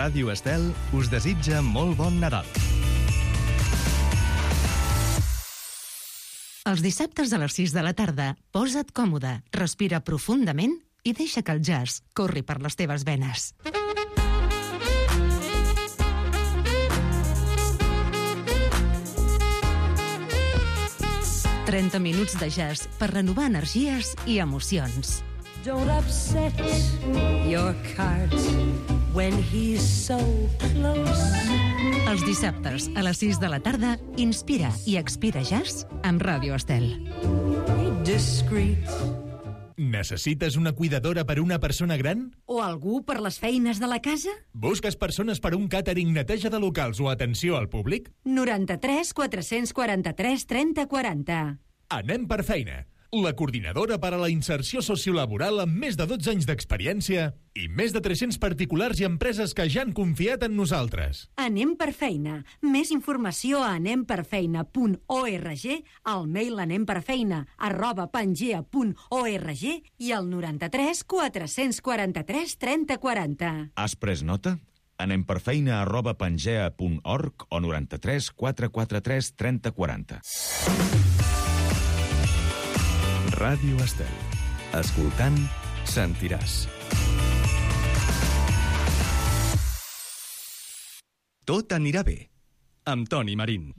Ràdio Estel us desitja molt bon Nadal. Els dissabtes a les 6 de la tarda, posa't còmode, respira profundament i deixa que el jazz corri per les teves venes. «30 minuts de jazz per renovar energies i emocions». Don't upset your cart when he's so close. Els dissabtes a les 6 de la tarda, inspira i expira jazz amb Ràdio Estel. Discreet. Necessites una cuidadora per una persona gran? O algú per les feines de la casa? Busques persones per un càtering, neteja de locals o atenció al públic? 93 443 30 40. Anem per feina. La coordinadora per a la inserció sociolaboral amb més de 12 anys d'experiència i més de 300 particulars i empreses que ja han confiat en nosaltres. Anem per feina. Més informació a anemperfeina.org, al mail anemperfeina@pangea.org i al 93 443 30 40. Has pres nota? anemperfeina@pangea.org o 93 443 30 40. Ràdio Estel. Escoltant, sentiràs. Tot anirà bé. Amb Toni Marín.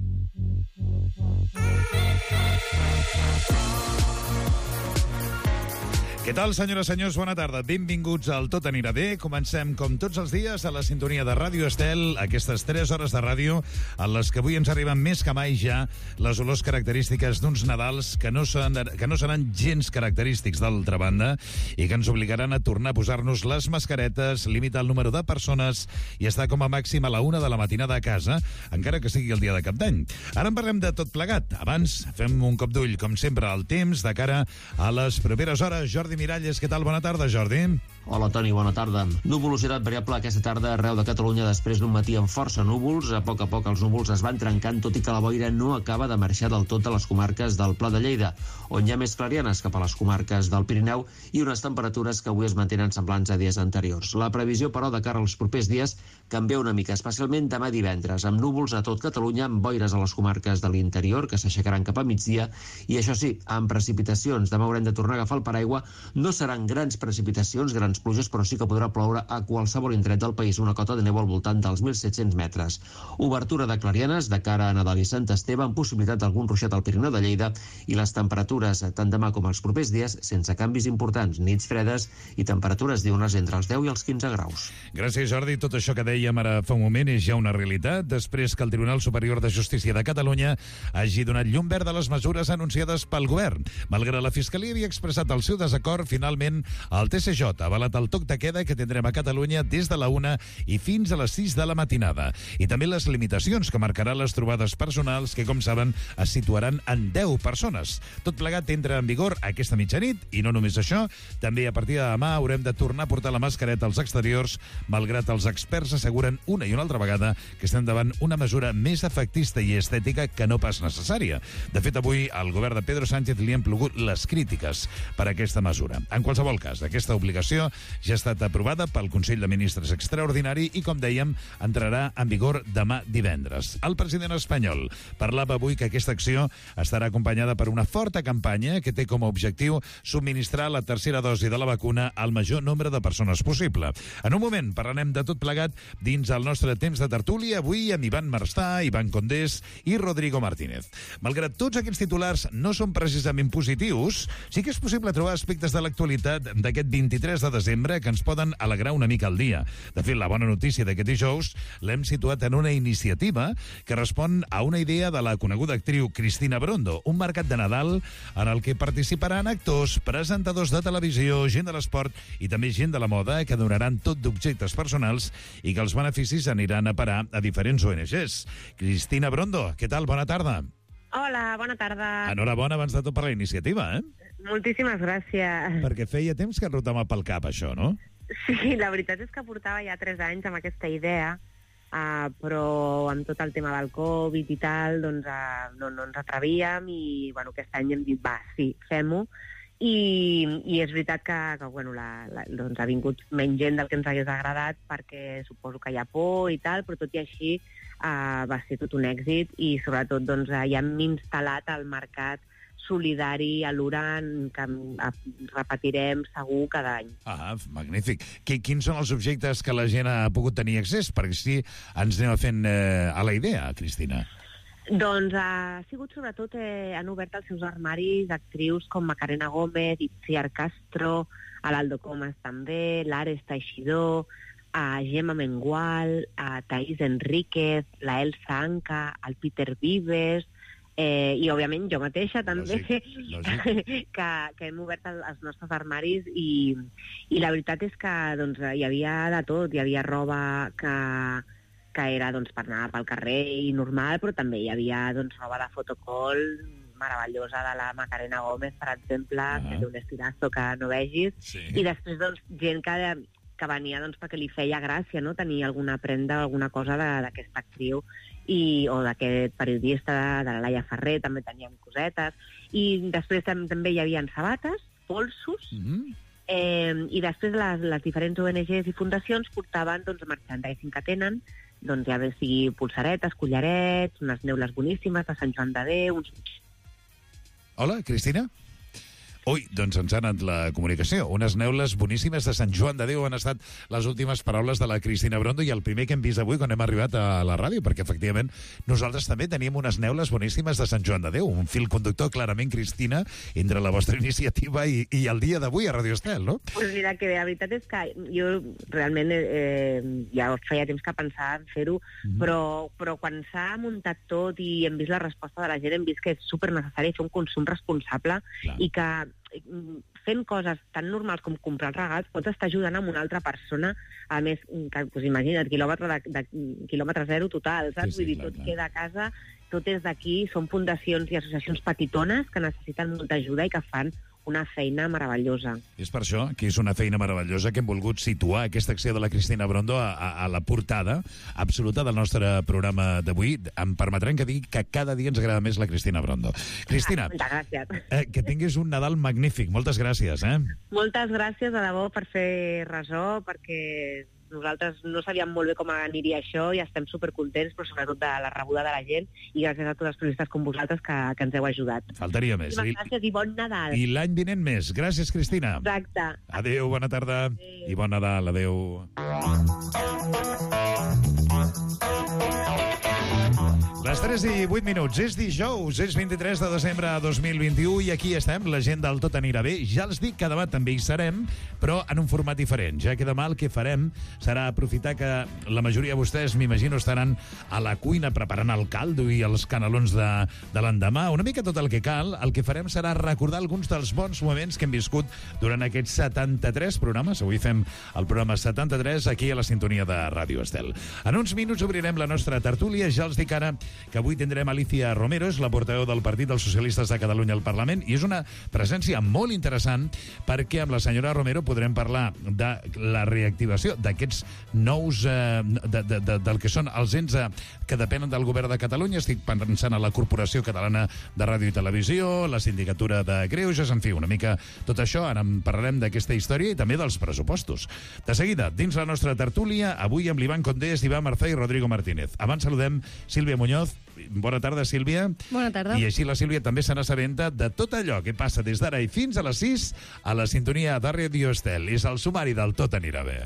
Què tal, senyores i senyors? Bona tarda. Benvinguts al Tot anirà bé. Comencem, com tots els dies, a la sintonia de Ràdio Estel, aquestes 3 hores de ràdio en les que avui ens arriben més que mai ja les olors característiques d'uns Nadals que no seran gens característics d'altra banda i que ens obligaran a tornar a posar-nos les mascaretes, limitar el número de persones i estar com a màxim a la 1 de la matinada a casa, encara que sigui el dia de Cap d'Any. Ara en parlem de tot plegat. Abans, fem un cop d'ull, com sempre, al temps de cara a les properes hores. Jordi Miralles, què tal? Bona tarda, Jordi. Hola, Toni, bona tarda. Nuvolositat variable aquesta tarda arreu de Catalunya després d'un matí amb força núvols. A poc els núvols es van trencant, tot i que la boira no acaba de marxar del tot a les comarques del Pla de Lleida, on hi ha més clarianes cap a les comarques del Pirineu i unes temperatures que avui es mantenen semblants a dies anteriors. La previsió, però, de cara als propers dies canvia una mica, especialment demà divendres, amb núvols a tot Catalunya, amb boires a les comarques de l'interior, que s'aixecaran cap a migdia, i això sí, amb precipitacions. Demà haurem de tornar a agafar el paraigua. No seran grans precipitacions, grans pluges, però sí que podrà ploure a qualsevol indret del país, una cota de neu al voltant dels 1.700 metres. Obertura de clarianes de cara a Nadal i Sant Esteve, amb possibilitat d'algun ruixat al Pirineu de Lleida, i les temperatures, tant demà com els propers dies, sense canvis importants, nits fredes i temperatures diurnes entre els 10 i els 15 graus. Gràcies, Jordi. Tot això que dèiem ara fa un moment és ja una realitat, després que el Tribunal Superior de Justícia de Catalunya hagi donat llum verd a les mesures anunciades pel govern. Malgrat la Fiscalia havia expressat el seu desacord, finalment el TSJ ha avalat el toc de queda que tindrem a Catalunya des de la 1 i fins a les 6 de la matinada. I també les limitacions que marcaran les trobades personals que, com saben, es situaran en 10 persones. Tot plegat entra en vigor aquesta mitjanit i no només això, també a partir de demà haurem de tornar a portar la mascareta als exteriors, malgrat els experts asseguren una i una altra vegada que estem davant una mesura més efectista i estètica que no pas necessària. De fet, avui al govern de Pedro Sánchez li han plogut les crítiques per aquesta mesura. En qualsevol cas, aquesta obligació ja ha estat aprovada pel Consell de Ministres extraordinari i, com dèiem, entrarà en vigor demà divendres. El president espanyol parlava avui que aquesta acció estarà acompanyada per una forta campanya que té com a objectiu subministrar la tercera dosi de la vacuna al major nombre de persones possible. En un moment parlarem de tot plegat dins el nostre temps de tertúlia, avui amb Ivan Marstà, Ivan Condés i Rodrigo Martínez. Malgrat tots aquests titulars no són precisament positius, sí que és possible trobar aspectes de l'actualitat d'aquest 23 de desembre que ens poden alegrar una mica el dia. De fet, la bona notícia d'aquest dijous l'hem situat en una iniciativa que respon a una idea de la coneguda actriu Cristina Brondo, un mercat de Nadal en el que participaran actors, presentadors de televisió, gent de l'esport i també gent de la moda que donaran tot d'objectes personals i que els beneficis aniran a parar a diferents ONGs. Cristina Brondo, què tal? Bona tarda. Hola, bona tarda. Enhorabona abans de tot per la iniciativa, Moltíssimes gràcies. Perquè feia temps que rotava pel cap això, no? Sí, la veritat és que portava ja 3 anys amb aquesta idea, però amb tot el tema del Covid i tal, doncs no ens atrevíem i bueno, aquest any hem dit, va, sí, fem-ho. I és veritat que bueno, doncs ha vingut menys gent del que ens hagués agradat, perquè suposo que hi ha por i tal, però tot i així va ser tot un èxit, i sobretot doncs, ja hem instal·lat el mercat solidari a l'Uran, que repetirem segur cada any. Magnífic. Quins són els objectes que la gent ha pogut tenir accés? Perquè si ens anem fent a la idea, Cristina. Doncs ha sigut sobretot, han obert els seus armaris actrius com Macarena Gómez, Itziar Castro, l'Aldo Comas també, l'Ares Teixidor, Gemma Mengual, Thaís Enríquez, la Elsa Anca, el Peter Vives, i òbviament jo mateixa també, lògic. que hem obert els nostres armaris, i la veritat és que doncs, hi havia de tot, hi havia roba que era doncs, per anar pel carrer i normal, però també hi havia doncs, roba de fotocall meravellosa de la Macarena Gómez, per exemple, que té un estirazo que no vegis, i després doncs, gent que venia doncs, perquè li feia gràcia, no?, tenir alguna prenda o alguna cosa d'aquesta actriu o d'aquest periodista, de la Laia Ferrer, també teníem cosetes, i després també hi havia sabates, polsos, i després les diferents ONGs i fundacions portaven doncs, merchandising que tenen, doncs ja bé sigui pulsaretes, collarets, unes neules boníssimes de Sant Joan de Déu... Hola, Cristina? Ui, doncs ens ha anat la comunicació. Unes neules boníssimes de Sant Joan de Déu han estat les últimes paraules de la Cristina Brondo, i el primer que hem vist avui quan hem arribat a la ràdio, perquè efectivament nosaltres també teníem unes neules boníssimes de Sant Joan de Déu, un fil conductor clarament, Cristina, entre la vostra iniciativa i el dia d'avui a Radio Estel, no? Pues mira, que la veritat és que jo realment ja feia temps que pensava en fer-ho, però quan s'ha muntat tot i hem vist la resposta de la gent, hem vist que és supernecessari fer un consum responsable. Clar. I que fent coses tan normals com comprar regals pots estar ajudant a una altra persona, a més, que imagina't, quilòmetre zero total, saps? Vull dir, tot queda a casa, tot és d'aquí, són fundacions i associacions petitones que necessiten molta ajuda i que fan una feina meravellosa. És per això que és una feina meravellosa que hem volgut situar aquesta acció de la Cristina Brondo a la portada absoluta del nostre programa d'avui. Em permetran que digui que cada dia ens agrada més la Cristina Brondo. Cristina, gràcies. Que tinguis un Nadal magnífic. Moltes gràcies. Moltes gràcies, de debò, per fer ressò, perquè nosaltres no sabíem molt bé com aniria això i estem supercontents, però sobretot de la rebuda de la gent, i gràcies a tots els periodistes com vosaltres que ens heu ajudat. Faltaria més. Gràcies i bon Nadal. I l'any vinent més. Gràcies, Cristina. Exacte. Adéu, bona tarda. Adéu. I bon Nadal. Adéu. Les 3 i 8 minuts. És dijous, és 23 de desembre de 2021 i aquí estem, la gent del Tot anirà bé. Ja els dic que demà també hi serem, però en un format diferent. Ja que demà el que farem serà aprofitar que la majoria de vostès, m'imagino, estaran a la cuina preparant el caldo i els canelons de l'endemà. Una mica tot el que cal. El que farem serà recordar alguns dels bons moments que hem viscut durant aquests 73 programes. Avui fem el programa 73 aquí a la sintonia de Ràdio Estel. En uns minuts obrirem la nostra tertúlia. Ja els dic ara que avui tindrem Alicia Romero, és la portaveu del Partit dels Socialistes de Catalunya al Parlament, i és una presència molt interessant perquè amb la senyora Romero podrem parlar de la reactivació d'aquests nous, del que són els ens que depenen del govern de Catalunya. Estic pensant a la Corporació Catalana de Ràdio i Televisió, la Sindicatura de Greuges, en fi, una mica tot això. Ara en parlarem d'aquesta història i també dels pressupostos. De seguida, dins la nostra tertúlia, avui amb l'Ivan Condés, Iván Marzá i Rodrigo Martínez. Abans saludem Sílvia Muñoz. Bona tarda, Sílvia. Bona tarda. I així la Sílvia també se n'assabenta de tot allò que passa des d'ara i fins a les 6 a la sintonia de Ràdio Estel. És el sumari del Tot anirà bé.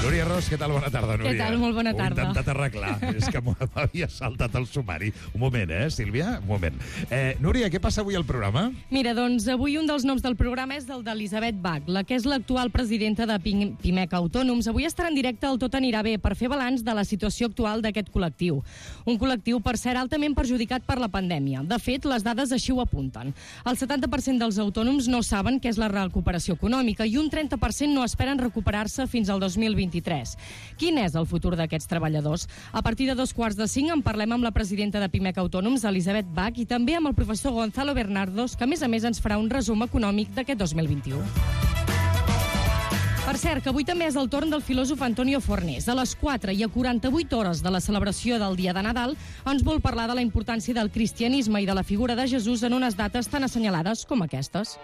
Núria Ros, què tal? Bona tarda, Núria. Què tal? Molt bona tarda. Ho he intentat arreglar. És que m'havia saltat el sumari. Un moment, Sílvia? Un moment. Núria, què passa avui al programa? Mira, doncs avui un dels noms del programa és el d'Elisabet Bach, la que és l'actual presidenta de Pimec Autònoms. Avui estarà en directe al Tot anirà bé per fer balanç de la situació actual d'aquest col·lectiu. Un col·lectiu, per ser altament perjudicat per la pandèmia. De fet, les dades així ho apunten. El 70% dels autònoms no saben què és la recuperació econòmica i un 30% no esperen recuperar-se fins al 2023. Quin és el futur d'aquests treballadors? A partir de 4:45 en parlem amb la presidenta de Pimec Autònoms, Elisabet Bach, i també amb el professor Gonzalo Bernardos, que a més ens farà un resum econòmic d'aquest 2021. Per cert, que avui també és el torn del filòsof Antonio Fornés. A les 4 i a 48 hores de la celebració del dia de Nadal ens vol parlar de la importància del cristianisme i de la figura de Jesús en unes dates tan assenyalades com aquestes.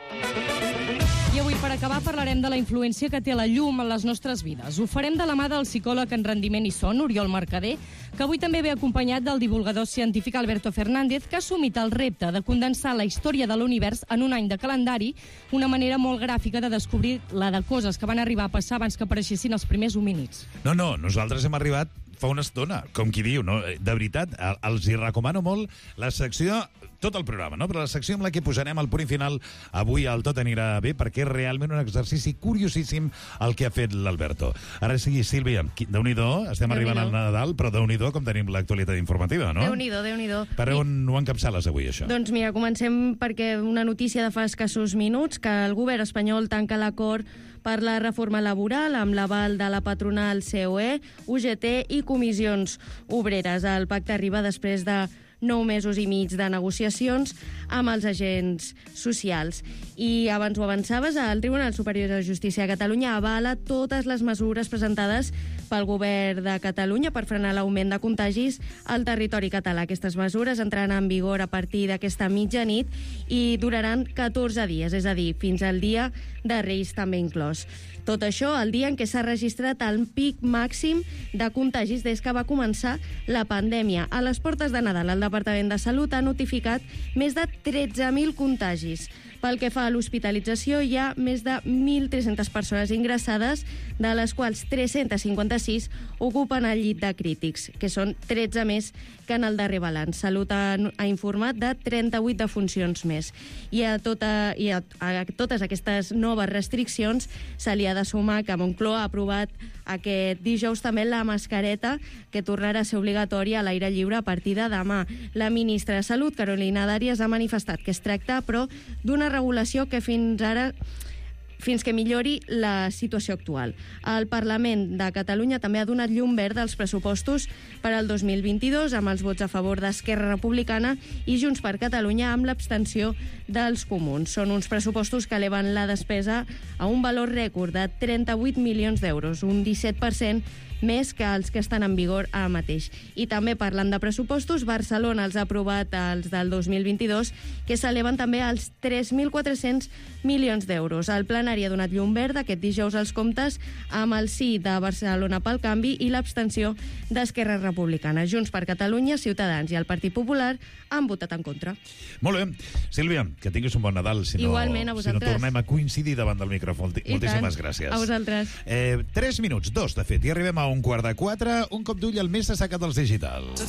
I avui, per acabar, parlarem de la influència que té la llum en les nostres vides. Ho farem de la mà del psicòleg en rendiment i son, Oriol Mercader, que avui també ve acompanyat del divulgador científic Alberto Fernández, que ha assumit el repte de condensar la història de l'univers en un any de calendari, una manera molt gràfica de descobrir la de coses que van arribar a passar abans que apareixessin els primers homínids. No, nosaltres hem arribat fa una estona, com qui diu, no? De veritat, els hi recomano molt la secció, tot el programa, no? Però la secció amb la que posarem el punt final avui al Tot anirà bé, perquè és realment un exercici curiosíssim el que ha fet l'Alberto. Ara sí, Sílvia, Déu-n'hi-do, estem arribant al Nadal, però Déu-n'hi-do com tenim l'actualitat informativa, no? Déu-n'hi-do. Per on ho encapçales avui, això? Doncs mira, comencem perquè una notícia de fa escassos minuts, que el govern espanyol tanca l'acord per la reforma laboral amb l'aval de la patronal COE, UGT i comissions obreres. El pacte arriba després de 9 mesos i mig de negociacions amb els agents socials. I abans ho avançaves, el Tribunal Superior de Justícia de Catalunya avala totes les mesures presentades pel govern de Catalunya per frenar l'augment de contagis al territori català. Aquestes mesures entraran en vigor a partir d'aquesta mitjanit i duraran 14 dies, és a dir, fins al dia de Reis també inclòs. Tot això el dia en què s'ha registrat el pic màxim de contagis des que va començar la pandèmia. A les portes de Nadal, el Departament de Salut ha notificat més de 13.000 contagis. Pel que fa a l'hospitalització, hi ha més de 1.300 persones ingressades, de les quals 356 ocupen el llit de crítics, que són 13 més que en el darrer balanç. Salut ha informat de 38 defuncions més. I a totes aquestes noves restriccions se li ha de sumar que Moncloa ha aprovat aquest dijous també la mascareta, que tornarà a ser obligatòria a l'aire lliure a partir de demà. La ministra de Salut, Carolina Darias, ha manifestat que es tracta, però, d'una regulació que fins que millori la situació actual. El Parlament de Catalunya també ha donat llum verda als pressupostos per al 2022, amb els vots a favor d'Esquerra Republicana i Junts per Catalunya amb l'abstenció dels comuns. Són uns pressupostos que eleven la despesa a un valor rècord de 38 milions d'euros, un 17% més que els que estan en vigor ara mateix. I també parlant de pressupostos, Barcelona els ha aprovat els del 2022, que s'eleven també als 3.400 milions d'euros. El plenari ha donat llum verda aquest dijous als comptes amb el sí de Barcelona pel Canvi i l'abstenció d'Esquerra Republicana. Junts per Catalunya, Ciutadans i el Partit Popular han votat en contra. Molt bé. Sílvia, que tinguis un bon Nadal. Igualment, a vosaltres. Si no tornem a coincidir davant del micròfon. Moltíssimes gràcies. A vosaltres. 3 minuts, 2, de fet, i arribem a 3:15, un cop d'ull al més destacat dels digitals.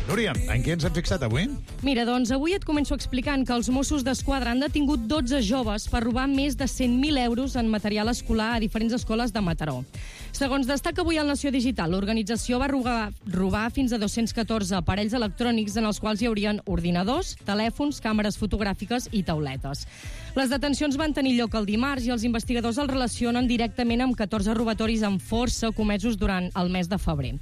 Núria, en què ens hem fixat avui? Mira, doncs avui et començo explicant que els Mossos d'Esquadra han detingut 12 joves per robar més de 100.000 euros en material escolar a diferents escoles de Mataró. Segons destaca avui el Nació Digital, l'organització va robar fins a 214 aparells electrònics en els quals hi haurien ordinadors, telèfons, càmeres fotogràfiques i tauletes. Les detencions van tenir lloc el dimarts i els investigadors el relacionen directament amb 14 robatoris amb força comesos durant el mes de febrer.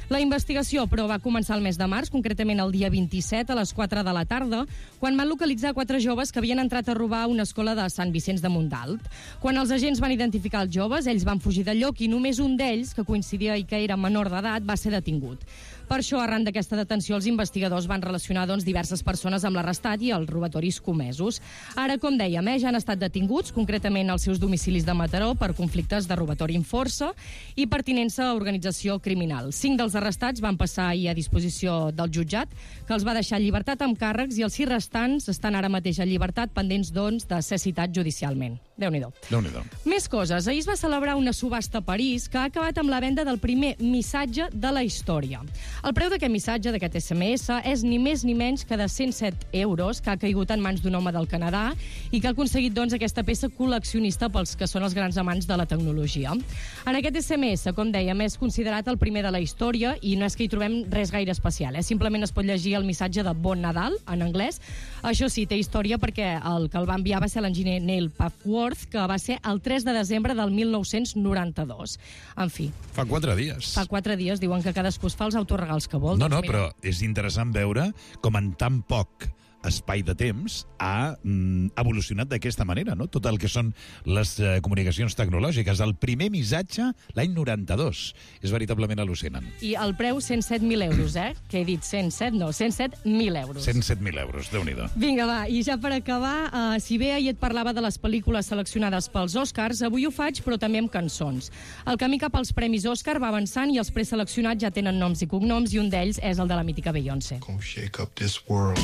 La investigació, però, va començar el mes de març, concretament el dia 27 a les 4 de la tarda, quan van localitzar 4 joves que havien entrat a robar a una escola de Sant Vicenç de Montalt. Quan els agents van identificar els joves, ells van fugir del lloc i només un d'ells, que coincidia i que era menor d'edat, va ser detingut. Per això, arran d'aquesta detenció, els investigadors van relacionar diverses persones amb l'arrestat i els robatoris comesos. Ara, com dèiem, ja han estat detinguts, concretament als seus domicilis de Mataró, per conflictes de robatori amb força i pertinença a organització criminal. 5 dels arrestats van passar ahir a disposició del jutjat, que els va deixar en llibertat amb càrrecs, i els 6 restants estan ara mateix en llibertat, pendents, doncs, de ser citats judicialment. Déu-n'hi-do. Déu-n'hi-do. Més coses. Ahir es va celebrar una subhasta a París que ha acabat amb la venda del primer missatge de la història. El preu d'aquest missatge, d'aquest SMS, és ni més ni menys que de 107 euros, que ha caigut en mans d'un home del Canadà i que ha aconseguit, doncs, aquesta peça col·leccionista pels que són els grans amants de la tecnologia. En aquest SMS, com dèiem, és considerat el primer de la història i no és que hi trobem res gaire especial. Simplement es pot llegir el missatge de Bon Nadal, en anglès. Això sí, té història perquè el que el va enviar va ser l'enginyer Neil Papworth, que va ser el 3 de desembre del 1992. En fi. Fa 4 dies. Fa 4 dies, diuen que cadascú es fa els autoregals que vol. No, però és interessant veure com en tan poc espai de temps ha evolucionat d'aquesta manera, no? Tot el que són les comunicacions tecnològiques. El primer missatge l'any 92. És veritablement al·lucinant. I el preu 107.000 euros, que he dit 107, no, 107.000 euros. 107.000 euros, Déu-n'hi-do. Vinga, va, i ja per acabar, si bé ahir et parlava de les pel·lícules seleccionades pels Oscars, avui ho faig, però també amb cançons. El camí cap als Premis Òscar va avançant i els preseleccionats ja tenen noms i cognoms, i un d'ells és el de la mítica Beyoncé. Shake up this world.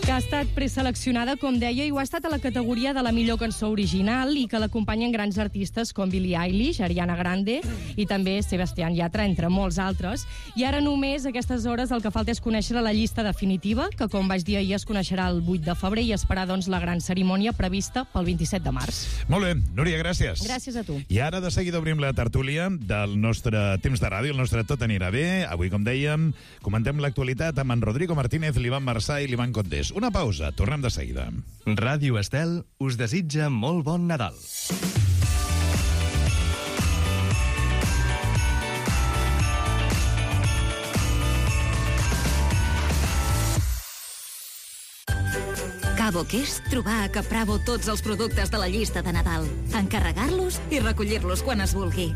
Que ha estat preseleccionada, com deia, i ho ha estat a la categoria de la millor cançó original i que l'acompanyen grans artistes com Billie Eilish, Ariana Grande i també Sebastián Yatra, entre molts altres. I ara només a aquestes hores el que falta és conèixer la llista definitiva, que com vaig dir ahir es coneixerà el 8 de febrer i esperar doncs la gran cerimònia prevista pel 27 de març. Molt bé, Núria, gràcies. Gràcies a tu. I ara de seguida obrim la tertúlia del nostre temps de ràdio, el nostre Tot anirà bé. Avui, com dèiem, comentem l'actualitat amb en Rodrigo Martínez, l'Ivan Marçà i l'Ivan Condés. Una pausa, tornem de seguida. Ràdio Estel us desitja molt bon Nadal. Cabo que és trobar a Capravo tots els productes de la llista de Nadal, encarregar-los i recollir-los quan es vulgui.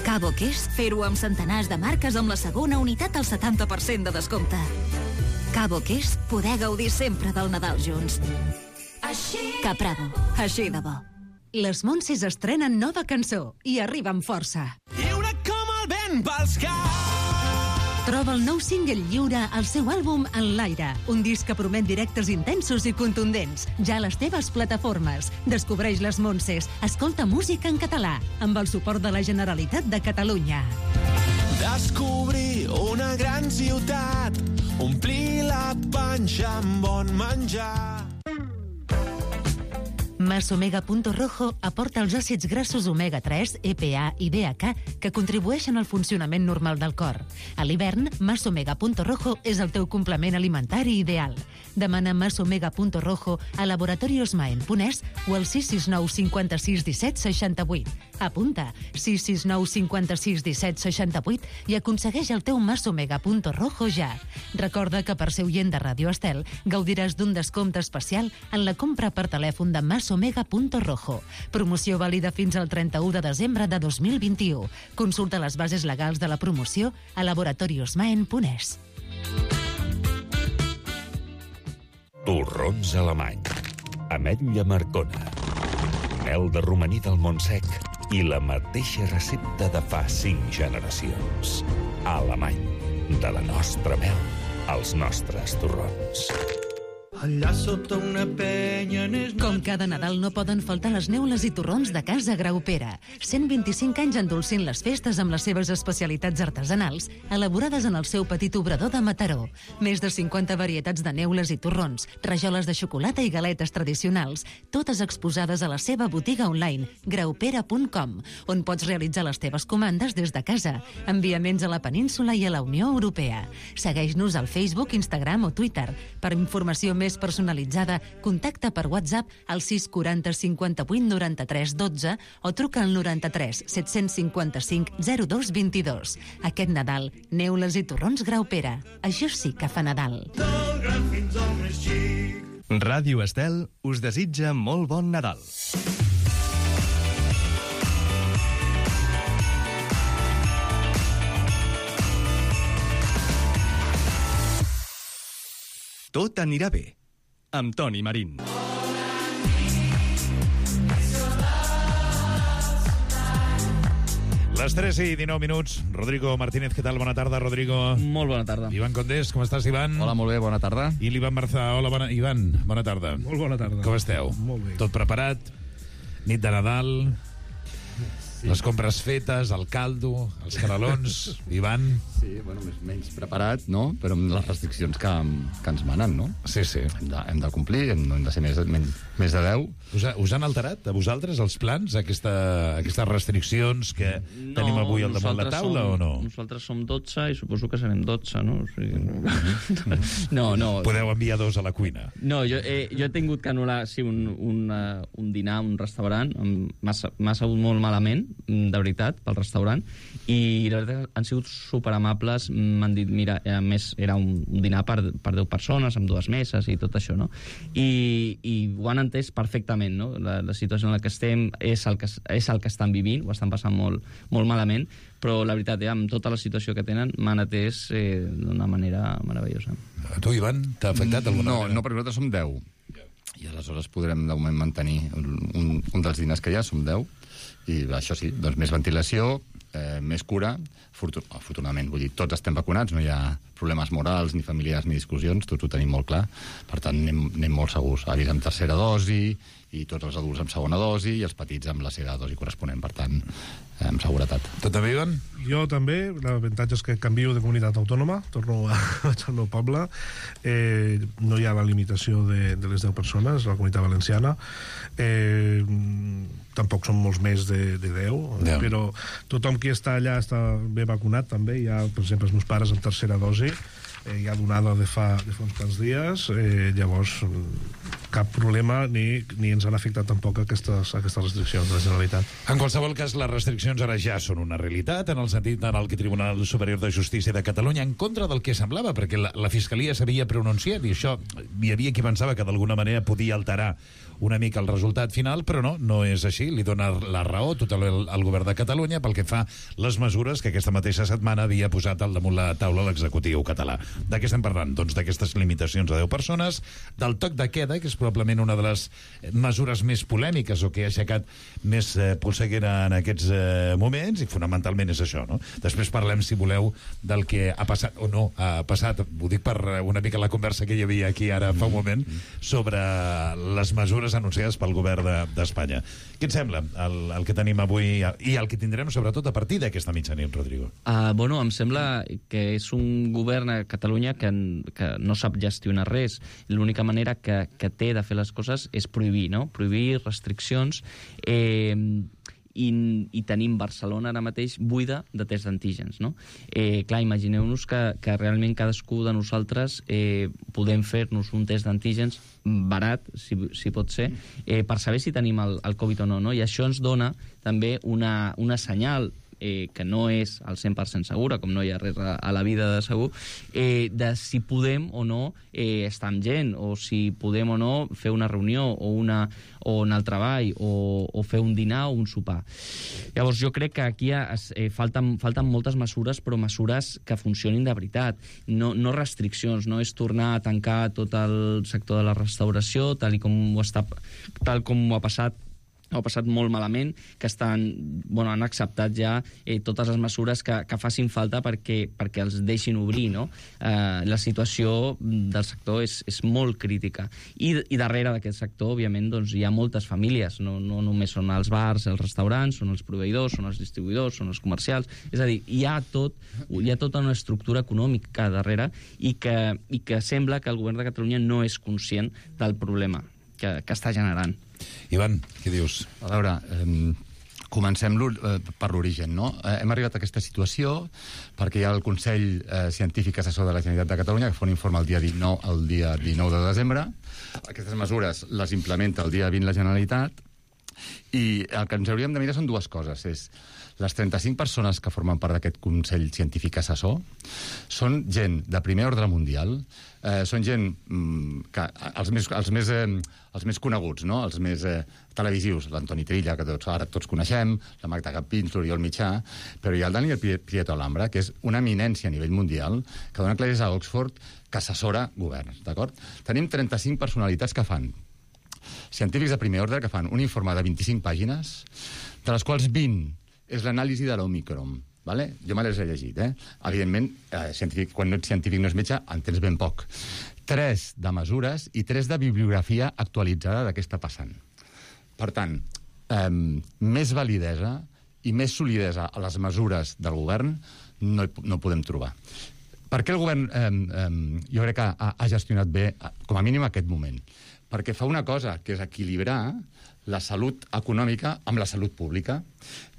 Cabo que és fer-ho amb centenars de marques amb la segona unitat al 70% de descompte. Cabo que és poder gaudir sempre del Nadal junts. Capravo, així de bo. Les Montses estrenen nova cançó i arriba amb força. Lliure com el vent pels caps. Troba el nou single lliure al seu àlbum En l'aire, un disc que promet directes intensos i contundents, ja a les teves plataformes. Descobreix les Montses, escolta música en català, amb el suport de la Generalitat de Catalunya. Descobrir una gran ciutat, omplir la panxa amb bon menjar. Masomega.rojo aporta els àcids grassos omega-3, EPA i DHA que contribueixen al funcionament normal del cor. A l'hivern, Masomega.rojo és el teu complement alimentari ideal. Demana Masomega.rojo a laboratoriosmaen.es o al 669 56 17 68. Apunta 669 56 17 68 i aconsegueix el teu Masomega.rojo ja. Recorda que per ser oient de Ràdio Estel gaudiràs d'un descompte especial en la compra per telèfon de Masomega.rojo. Promoció vàlida fins al 31 de desembre de 2021. Consulta les bases legals de la promoció a laboratoriosmaen.es. Torrons alemany, ametlla marcona, mel de romaní del Montsec i la mateixa recepta de fa 5 generacions. Alemany, de la nostra mel als nostres torrons. Allà sota una penya... Com cada Nadal no poden faltar les neules i torrons de Casa Graupera. 125 anys endolcint les festes amb les seves especialitats artesanals, elaborades en el seu petit obrador de Mataró. Més de 50 varietats de neules i torrons, rajoles de xocolata i galetes tradicionals, totes exposades a la seva botiga online, graupera.com, on pots realitzar les teves comandes des de casa. Enviaments a la península i a la Unió Europea. Segueix-nos al Facebook, Instagram o Twitter. Per informació més personalitzada, contacta per WhatsApp al 640 58 93 12 o truca al 93 755 02 22. Aquest Nadal, neules i torrons Graupera. Això sí que fa Nadal. Ràdio Estel us desitja molt bon Nadal. Tot anirà bé, amb Toni Marín. Les 3 i 19 minuts. Rodrigo Martínez, què tal? Bona tarda, Rodrigo. Molt bona tarda. Ivan Condés, com estàs, Ivan? Hola, molt bé, bona tarda. I l'Ivan Marçà. Hola, Ivan, bona tarda. Molt bona tarda. Com esteu? Molt bé. Tot preparat? Nit de Nadal? Sí. Les compres fetes, el caldo, els canelons, Ivan? Sí, bueno, menys preparat, no? Però amb les restriccions que ens manen, no? Sí, sí. Hem de complir, no hem de ser més de 10. Us han alterat, a vosaltres, els plans, aquestes restriccions que tenim avui al damunt la taula, o no? Nosaltres som 12 i suposo que serem 12, no? O sigui, no. Podeu enviar 2 a la cuina. No, jo he tingut que anul·lar un dinar a un restaurant, m'ha sabut molt malament, de veritat, pel restaurant, i la veritat han sigut superamables, m'han dit, mira, a més era un dinar per 10 persones, amb 2 meses i tot això, no? I ho han entès perfectament, no? La situació en la que estem és el que estan vivint, ho estan passant molt, molt malament, però la veritat, amb tota la situació que tenen, m'han atès d'una manera meravellosa. A tu, Ivan, t'ha afectat alguna manera? No, perquè nosaltres som 10. I aleshores podrem, de moment, mantenir un dels diners que hi ha, som 10. I això sí, doncs més ventilació, més cura. Afortunadament, vull dir, tots estem vacunats, no hi ha problemes morals, ni familiars, ni discussions, tots ho tenim molt clar. Per tant, anem molt segurs. Avis amb tercera dosi, i tots els adults amb segona dosi, i els petits amb la seva dosi corresponent. Per tant, amb seguretat. Tu també, Ivan? Jo també. L'avantatge és que canvio de comunitat autònoma, torno al meu poble. No hi ha la limitació de les 10 persones, a la comunitat valenciana. Tampoc són molts més de 10, però tothom qui està allà està ben vacunat també. Hi ha, per exemple, els meus pares amb tercera dosi, ja donada de fa uns quants dies, llavors cap problema ni ens han afectat tampoc aquestes restriccions de la Generalitat. En qualsevol cas, les restriccions ara ja són una realitat, en el sentit en el que Tribunal Superior de Justícia de Catalunya, en contra del que semblava, perquè la Fiscalia s'havia pronunciat, i això hi havia qui pensava que d'alguna manera podia alterar una mica el resultat final, però no és així. Li dona la raó tot al govern de Catalunya pel que fa les mesures que aquesta mateixa setmana havia posat al damunt la taula l'executiu català. De què estem parlant? Doncs d'aquestes limitacions a 10 persones, del toc de queda, que és probablement una de les mesures més polèmiques o que ha aixecat més polseguera en aquests moments, i fonamentalment és això, no? Després parlem, si voleu, del que ha passat o no ha passat, ho dic per una mica la conversa que hi havia aquí ara fa un moment, sobre les mesures anunciades pel govern d'Espanya. Què et sembla el que tenim avui i el que tindrem sobretot a partir d'aquesta mitjanit, Rodrigo? Bueno, em sembla que és un govern a Catalunya que no sap gestionar res. L'única manera que té de fer les coses és prohibir, no? Prohibir restriccions, i tenim Barcelona ara mateix buida de tests d'antígens, no? Clar, imagineu-nos que realment cadascú de nosaltres podem fer-nos un test d'antígens barat, si pot ser, per saber si tenim el Covid o no, no? I això ens dona també una senyal que no és al 100% segura, com no hi ha res a la vida de segur, de si podem o no estar amb gent, o si podem o no fer una reunió, o anar al treball, o fer un dinar o un sopar. Llavors, jo crec que aquí falten moltes mesures, però mesures que funcionin de veritat, no restriccions, no és tornar a tancar tot el sector de la restauració, tal com ho ha passat molt malament, que han acceptat ja totes les mesures que facin falta perquè els deixin obrir, no? La situació del sector és molt crítica. I darrere d'aquest sector, òbviament, doncs, hi ha moltes famílies. No només són els bars, els restaurants, són els proveïdors, són els distribuïdors, són els comercials. És a dir, hi ha tota una estructura econòmica darrere i que sembla que el govern de Catalunya no és conscient del problema que està generant. Ivan, què dius? A veure, comencem per l'origen, no? Hem arribat a aquesta situació perquè hi ha el Consell Científic Assessor de la Generalitat de Catalunya que fa un informe el dia 19 de desembre. Aquestes mesures les implementa el dia 20 la Generalitat, i el que ens hauríem de mirar són dues coses. És les 35 persones que formen part d'aquest Consell Científic Assessor són gent de primer ordre mundial, són gent que els més coneguts, no? Els més televisius, l'Antoni Trilla, que ara tots coneixem, la Magda Campins, l'Oriol Mitjà, però hi ha el Daniel Prieto Alhambra, que és una eminència a nivell mundial, que dona classes a Oxford, que assessora governs, d'acord? Tenim 35 personalitats que fan, científics de primer ordre, que fan un informe de 25 pàgines, de les quals 20 és l'anàlisi de l'Omicron. Vale? Jo me les he llegit, Evidentment, quan no ets científic no és metge, en tens ben poc. 3 de mesures i 3 de bibliografia actualitzada de què està passant. Per tant, més validesa i més solidesa a les mesures del govern no podem trobar. Per què el govern, jo crec que ha gestionat bé, com a mínim aquest moment? Perquè fa una cosa, que és equilibrar la salut econòmica amb la salut pública,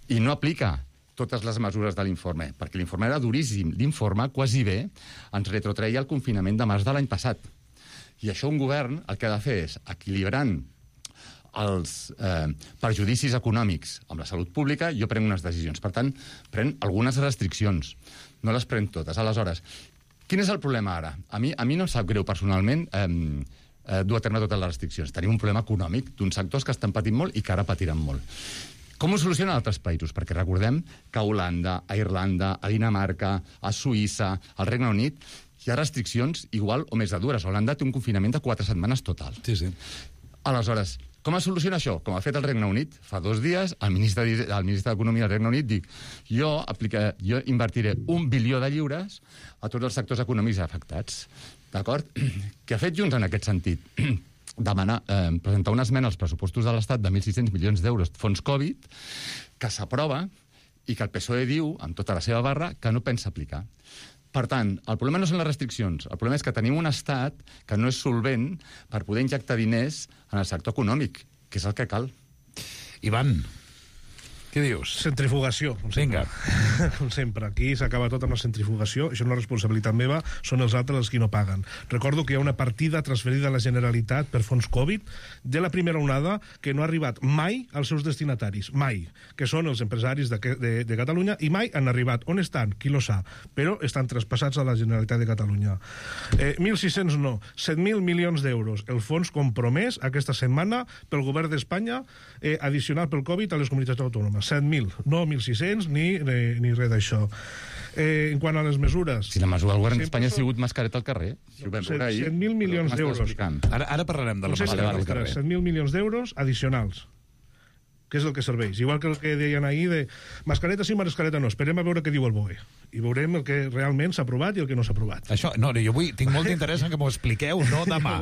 i no aplica totes les mesures de l'informe, perquè l'informe era duríssim. L'informe quasi bé ens retrotreia el confinament de març de l'any passat. I això un govern el que ha de fer és, equilibrant els perjudicis econòmics amb la salut pública, jo prenc unes decisions. Per tant, prenc algunes restriccions. No les prenc totes. Aleshores, quin és el problema ara? A mi no em sap greu personalment dur a terme totes les restriccions. Tenim un problema econòmic d'uns sectors que estan patint molt i que ara patiran molt. Com ho solucionen altres països? Perquè recordem que a Holanda, a Irlanda, a Dinamarca, a Suïssa, al Regne Unit, hi ha restriccions igual o més de dures. Holanda té un confinament de 4 setmanes total. Sí, sí. Aleshores, com es soluciona això? Com ha fet el Regne Unit fa 2 dies, el ministre d'Economia del Regne Unit dic jo invertiré 1 bilió de lliures a tots els sectors econòmics afectats. D'acord? Què ha fet Junts en aquest sentit? Demanar, presentar una esmena als pressupostos de l'Estat de 1.600 milions d'euros fons Covid, que s'aprova i que el PSOE diu, amb tota la seva barra, que no pensa aplicar. Per tant, el problema no són les restriccions, el problema és que tenim un estat que no és solvent per poder injectar diners en el sector econòmic, que és el que cal. Ivan, què dius? Centrifugació. Vinga. Com sempre. Aquí s'acaba tot amb la centrifugació. Això no és responsabilitat meva, són els altres els qui no paguen. Recordo que hi ha una partida transferida a la Generalitat per fons Covid de la primera onada que no ha arribat mai als seus destinataris. Mai. Que són els empresaris de Catalunya i mai han arribat. On estan? Qui lo sap. Però estan traspassats a la Generalitat de Catalunya. 1.600 no. 7.000 milions d'euros. El fons compromès aquesta setmana pel govern d'Espanya addicional pel Covid a les comunitats autònomes. 7.000, no 1.600 ni res d'això. En quant a les mesures... Si la mesura del govern d'Espanya ha sigut mascareta al carrer. Si ho vam veure ahir. 7.000 milions d'euros. Ara parlarem de la mascareta al carrer. 7.000 milions d'euros addicionals. Què és el que serveix? Igual que el que deien ahir de mascareta sí, mascareta no. Esperem a veure què diu el BOE. I veurem el que realment s'ha aprovat i el que no s'ha aprovat. Això, no, jo tinc molt d'interès en que m'ho expliqueu, no demà.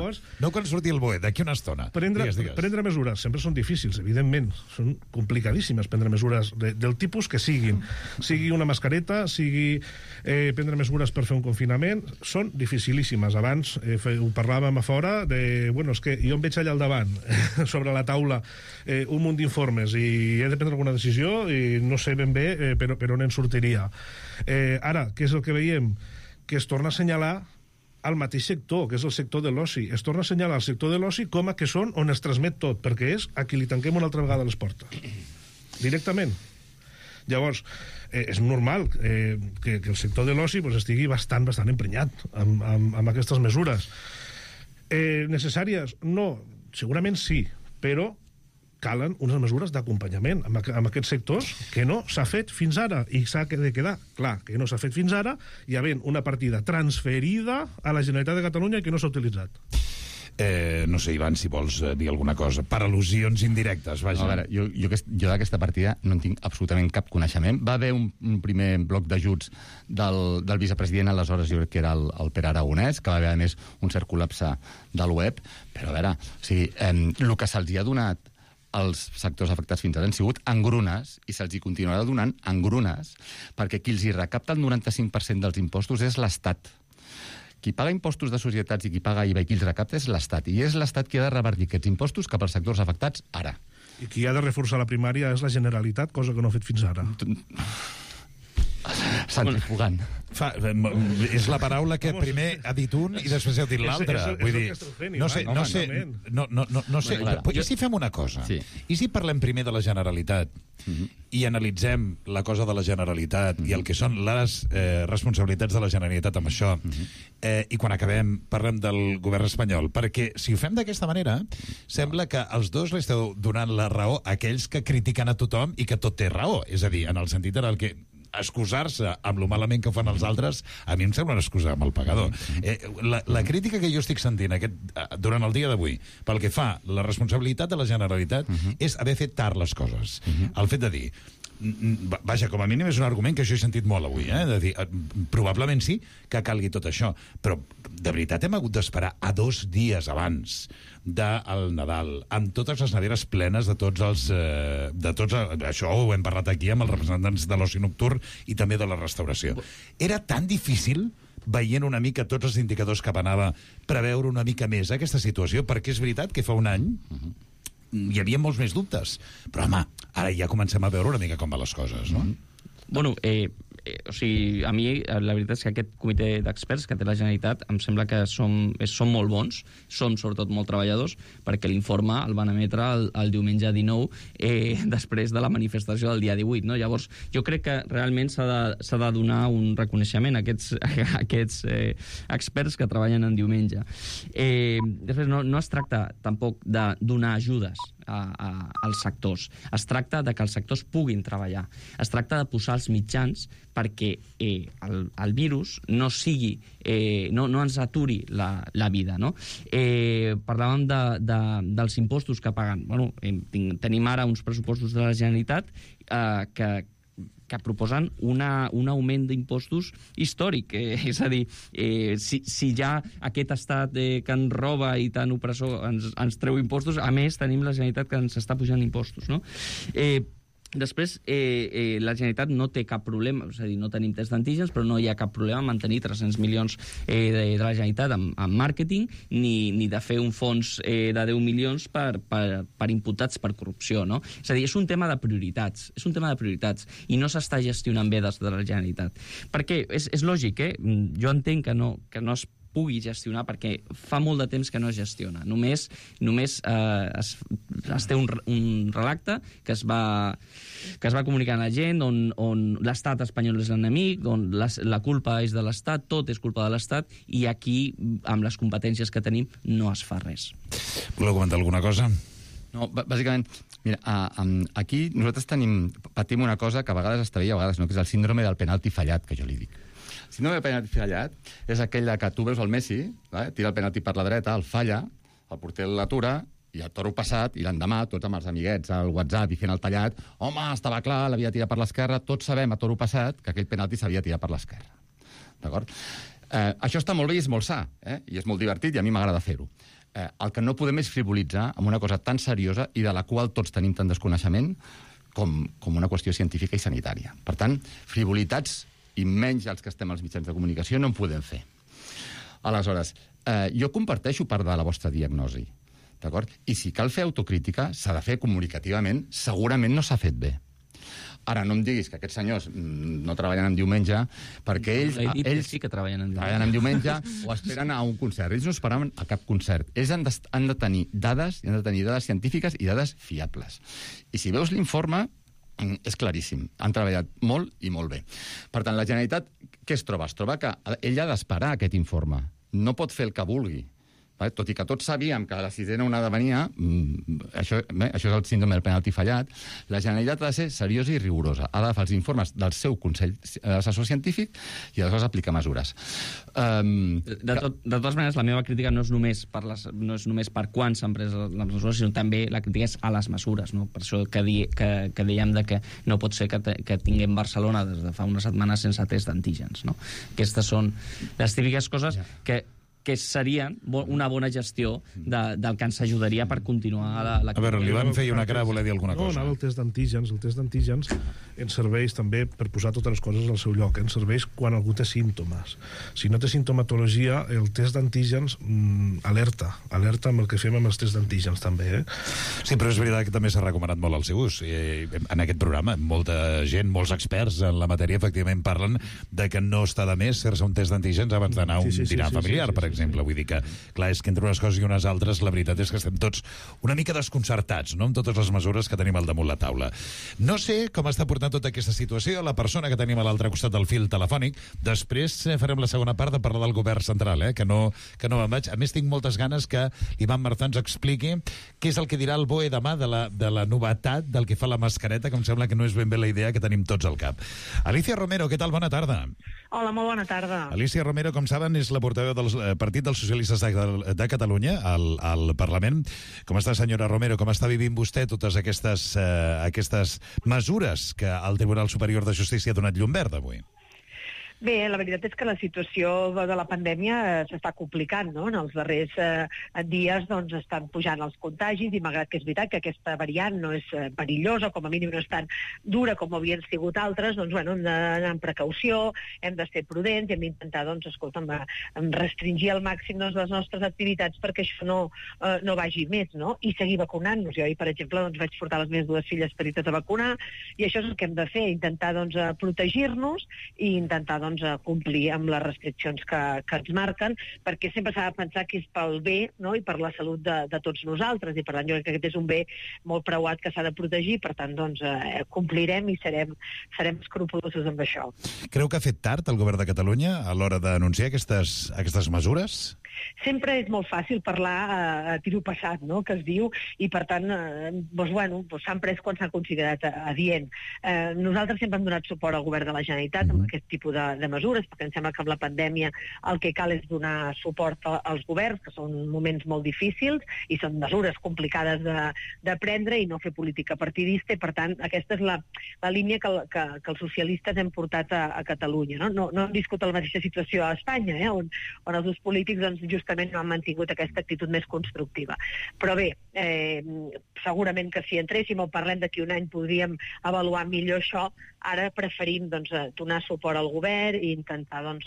No quan surti el BOE, d'aquí una estona. Prendre mesures sempre són difícils, evidentment. Són complicadíssimes prendre mesures del tipus que siguin. Sigui una mascareta, sigui prendre mesures per fer un confinament, són dificilíssimes. Abans ho parlàvem a fora de... Bueno, és que jo em veig allà al davant, sobre la taula, un munt d'informes i he de prendre alguna decisió i no sé ben bé per on en sortiria. Ara, què és el que veiem? Que es torna a assenyalar al mateix sector, que és el sector de l'oci. Es torna a assenyalar el sector de l'oci com a que són on es transmet tot, perquè és a qui li tanquem una altra vegada les portes. Directament. Llavors, és normal que el sector de l'oci estigui bastant emprenyat amb aquestes mesures. Necessàries? No, segurament sí, però calen unes mesures d'acompanyament amb aquests sectors que no s'ha fet fins ara i s'ha de quedar clar que no s'ha fet fins ara i havent una partida transferida a la Generalitat de Catalunya i que no s'ha utilitzat. No sé, Ivan, si vols dir alguna cosa. Per al·lusions indirectes, vaja. A veure, jo d'aquesta partida no en tinc absolutament cap coneixement. Va haver un primer bloc d'ajuts del vicepresident, aleshores jo crec que era el Pere Aragonès, que va haver, a més, un cert col·lapse del web, però a veure, o sigui, el que se'ls ha donat als sectors afectats fins ara han sigut engrunes i se'ls hi continuarà donant engrunes perquè qui els hi recapta el 95% dels impostos és l'Estat. Qui paga impostos de societats i qui paga IVA i qui els recapta és l'Estat. I és l'Estat qui ha de revertir aquests impostos cap als sectors afectats ara. I qui ha de reforçar la primària és la Generalitat, cosa que no ha fet fins ara. Centrifugant. És la paraula que primer ha dit un i després heu dit l'altre. Vull dir, no sé. I si fem una cosa? I si parlem primer de la Generalitat i analitzem la cosa de la Generalitat i el que són les responsabilitats de la Generalitat amb això i quan acabem parlem del govern espanyol, perquè si ho fem d'aquesta manera sembla que els dos li esteu donant la raó a aquells que critiquen a tothom i que tot té raó, és a dir, en el sentit en el que excusar-se amb lo malament que fan els altres, a mi em sembla una excusa amb el pagador. La crítica que jo estic sentint durant el dia d'avui, pel que fa la responsabilitat de la Generalitat, és haver fet tard les coses. El fet de dir, vaja, com a mínim és un argument que jo he sentit molt avui, de dir, probablement sí que calgui tot això, però de veritat hem hagut d'esperar a 2 dies abans del Nadal, amb totes les neveres plenes de tots els... això ho hem parlat aquí amb els representants de l'oci nocturn i també de la restauració. Era tan difícil, veient una mica tots els indicadors cap anava, preveure una mica més aquesta situació, perquè és veritat que fa un any hi havia molts més dubtes. Però, home, ara ja comencem a veure una mica com van les coses, no? Bueno, o sigui, a mi la veritat és que aquest comitè d'experts que té la Generalitat em sembla que són molt bons, són sobretot molt treballadors, perquè l'informe el van emetre el diumenge 19 després de la manifestació del dia 18, no? Llavors, jo crec que realment s'ha de donar un reconeixement a aquests experts que treballen en diumenge. Després, no es tracta tampoc de donar ajudes als sectors. Es tracta de que els sectors puguin treballar. Es tracta de posar els mitjans perquè el virus no sigui, no ens aturi la vida, no? Parlàvem dels impostos que paguen. Bueno, tenim ara uns pressupostos de la Generalitat que proposen un augment d'impostos històric. És a dir, si ja aquest estat que ens roba i tan opressor ens treu impostos, a més tenim la Generalitat que ens està pujant impostos, no? Després, la Generalitat no té cap problema, és a dir, no tenim test d'antígens, però no hi ha cap problema en mantenir 300 milions de la Generalitat en màrqueting, ni de fer un fons de 10 milions per imputats per corrupció, no? És a dir, és un tema de prioritats, i no s'està gestionant bé des de la Generalitat. Perquè és lògic, jo entenc que no es pugui gestionar, perquè fa molt de temps que no es gestiona. Només es té un relacte que es va comunicar a la gent, on l'estat espanyol és l'enemic, on la culpa és de l'estat, tot és culpa de l'estat, i aquí, amb les competències que tenim, no es fa res. Voleu comentar alguna cosa? No, bàsicament, mira, aquí nosaltres patim una cosa que a vegades està bé i a vegades no, que és el síndrome del penalti fallat, que jo li dic. El síndrome del penalti fallat és aquell que tu veus el Messi, tira el penalti per la dreta, el falla, el porter l'atura, i el toro passat, i l'endemà, tots amb els amiguets al WhatsApp i fent el tallat, home, estava clar, l'havia tirat per l'esquerra, tots sabem a toro passat que aquell penalti s'havia tirat per l'esquerra. D'acord? Això està molt bé i és molt sa, i és molt divertit i a mi m'agrada fer-ho. El que no podem és frivolitzar amb una cosa tan seriosa i de la qual tots tenim tant desconeixement com una qüestió científica i sanitària. Per tant, frivolitats i menys els que estem als mitjans de comunicació no en podem fer. Aleshores, jo comparteixo part de la vostra diagnosi, d'acord? I si cal fer autocrítica, s'ha de fer comunicativament, segurament no s'ha fet bé. Ara, no em diguis que aquests senyors no treballen en diumenge, perquè ells sí que treballen en diumenge o esperen a un concert. Ells no esperaven a cap concert. Ells han de tenir dades científiques i dades fiables. I si veus l'informe, és claríssim. Han treballat molt i molt bé. Per tant, la Generalitat, què es troba? Es troba que ell ha d'esperar aquest informe. No pot fer el que vulgui. Tot i que tots sabíem que la sisena onada venia, això és el síndrome del penalti fallat, la Generalitat ha de ser seriosa i rigorosa. Ha d'agafar els informes del seu Consell Assessor Científic i aleshores aplicar mesures. De totes maneres, la meva crítica no és només per quan s'han pres les mesures, sinó també la crítica és a les mesures. No? Per això que dèiem que no pot ser que tinguem Barcelona des de fa una setmana sense test d'antígens. No? Aquestes són les típiques coses que serien una bona gestió del que ens ajudaria per continuar la... A veure, l'Ivan feia una cara a voler dir alguna cosa. No, anava el test d'antígens. El test d'antígens ens serveix també per posar totes les coses al seu lloc. Ens serveix quan algú té símptomes. Si no té simptomatologia, el test d'antígens alerta amb el que fem amb els tests d'antígens també. Sí, però és veritat que també s'ha recomanat molt el seu ús. En aquest programa, molta gent, molts experts en la matèria, efectivament, parlen de que no està de més fer-se un test d'antígens abans d'anar a un dinar familiar, per exemple. Vull dir que, clar, és que entre unes coses i unes altres la veritat és que estem tots una mica desconcertats, no?, amb totes les mesures que tenim al damunt la taula. No sé com està portant tota aquesta situació la persona que tenim a l'altre costat del fil telefònic. Després farem la segona part de parlar del govern central, que no me'n vaig. A més, tinc moltes ganes que l'Ivan Martà ens expliqui què és el que dirà el BOE demà de la novetat del que fa la mascareta, que em sembla que no és ben bé la idea que tenim tots al cap. Alicia Romero, què tal? Bona tarda. Hola, molt bona tarda. Alicia Romero, com saben, és la portaveu del Partit dels Socialistes de Catalunya al Parlament. Com està, senyora Romero? Com està vivint vostè totes aquestes mesures que el Tribunal Superior de Justícia ha donat llum verda avui? Bé, la veritat és que la situació de la pandèmia s'està complicant, no? En els darrers dies doncs, estan pujant els contagis i malgrat que és veritat que aquesta variant no és perillosa, com a mínim no és tan dura com havien sigut altres, doncs, bueno, hem d'anar amb precaució, hem de ser prudents i hem d'intentar, doncs, escolta'm, restringir al màxim les nostres activitats perquè això no vagi més, no? I seguir vacunant-nos. Jo ahir, per exemple, doncs, vaig portar les meves dues filles petites a vacunar i això és el que hem de fer, intentar doncs, protegir-nos i intentar doncs, complir amb les restriccions que ens marquen, perquè sempre s'ha de pensar que és pel bé, no? I per la salut de tots nosaltres, i per tant jo crec que aquest és un bé molt preuat que s'ha de protegir, per tant doncs, complirem i serem escrupulosos amb això. Creu que ha fet tard el govern de Catalunya a l'hora d'anunciar aquestes mesures? Sempre és molt fàcil parlar a tiro passat, no?, que es diu, i per tant s'han pres quan s'ha considerat adient. Nosaltres sempre hem donat suport al govern de la Generalitat amb aquest tipus de mesures, perquè em sembla que amb la pandèmia el que cal és donar suport als governs, que són moments molt difícils i són mesures complicades de prendre i no fer política partidista, i per tant aquesta és la línia que els socialistes hem portat a Catalunya. No hem viscut la mateixa situació a Espanya, on els dos polítics doncs, justament no han mantingut aquesta actitud més constructiva. Però bé, segurament que si entréssim o parlem d'aquí un any podríem avaluar millor això. Ara preferim doncs, donar suport al govern i intentar doncs,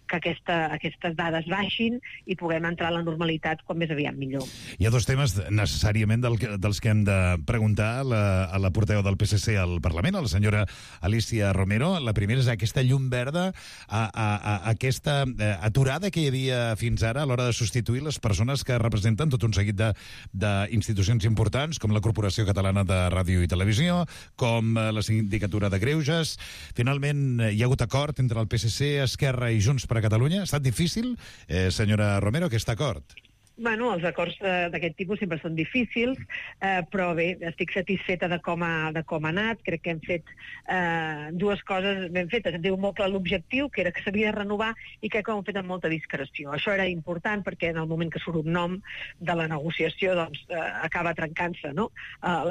que aquestes dades baixin i puguem entrar a la normalitat quan més aviat millor. Hi ha dos temes necessàriament dels que hem de preguntar a la portaveu del PSC al Parlament, a la senyora Alicia Romero. La primera és aquesta llum verda, aquesta aturada que hi havia fins ara a l'hora de substituir les persones que representen tot un seguit d'institucions importants, com la Corporació Catalana de Ràdio i Televisió, com la Sindicatura de Greuges. Finalment, hi ha hagut acord entre el PSC, Esquerra i Junts per a Catalunya. Ha estat difícil, senyora Romero, aquest acord? Bueno, els acords d'aquest tipus sempre són difícils, però bé, estic satisfeta de com ha anat. Crec que hem fet dues coses ben fetes. Em diu molt clar l'objectiu, que era que s'havia de renovar, i crec que ho hem fet amb molta discreció. Això era important perquè en el moment que surt un nom de la negociació doncs, acaba trencant-se, no?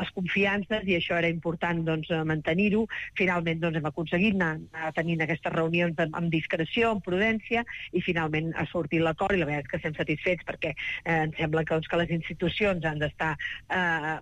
Les confiances, i això era important doncs, mantenir-ho. Finalment doncs, hem aconseguit anar tenint aquestes reunions amb discreció, amb prudència, i finalment ha sortit l'acord, i la veritat és que estem satisfets perquè em sembla que les institucions han d'estar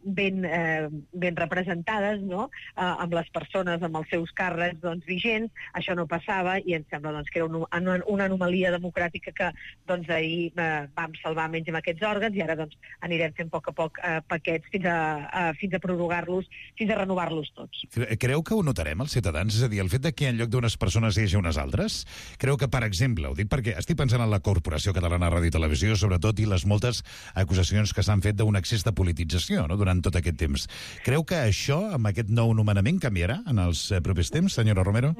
ben representades, no? Amb les persones, amb els seus càrrecs doncs, vigents. Això no passava i em sembla doncs, que era una anomalia democràtica que doncs, ahir vam salvar menys amb aquests òrgans, i ara doncs, anirem fent a poc paquets fins a prorrogar-los, fins a renovar-los tots. Creu que ho notarem els ciutadans? És a dir, el fet que en lloc d'unes persones hi hagi unes altres? Creu que, per exemple, ho dic perquè estic pensant en la Corporació Catalana de Ràdio i Televisió, sobretot, i les moltes acusacions que s'han fet d'un excés de politització, no?, durant tot aquest temps. Creu que això, amb aquest nou nomenament, canviarà en els propers temps, senyora Romero?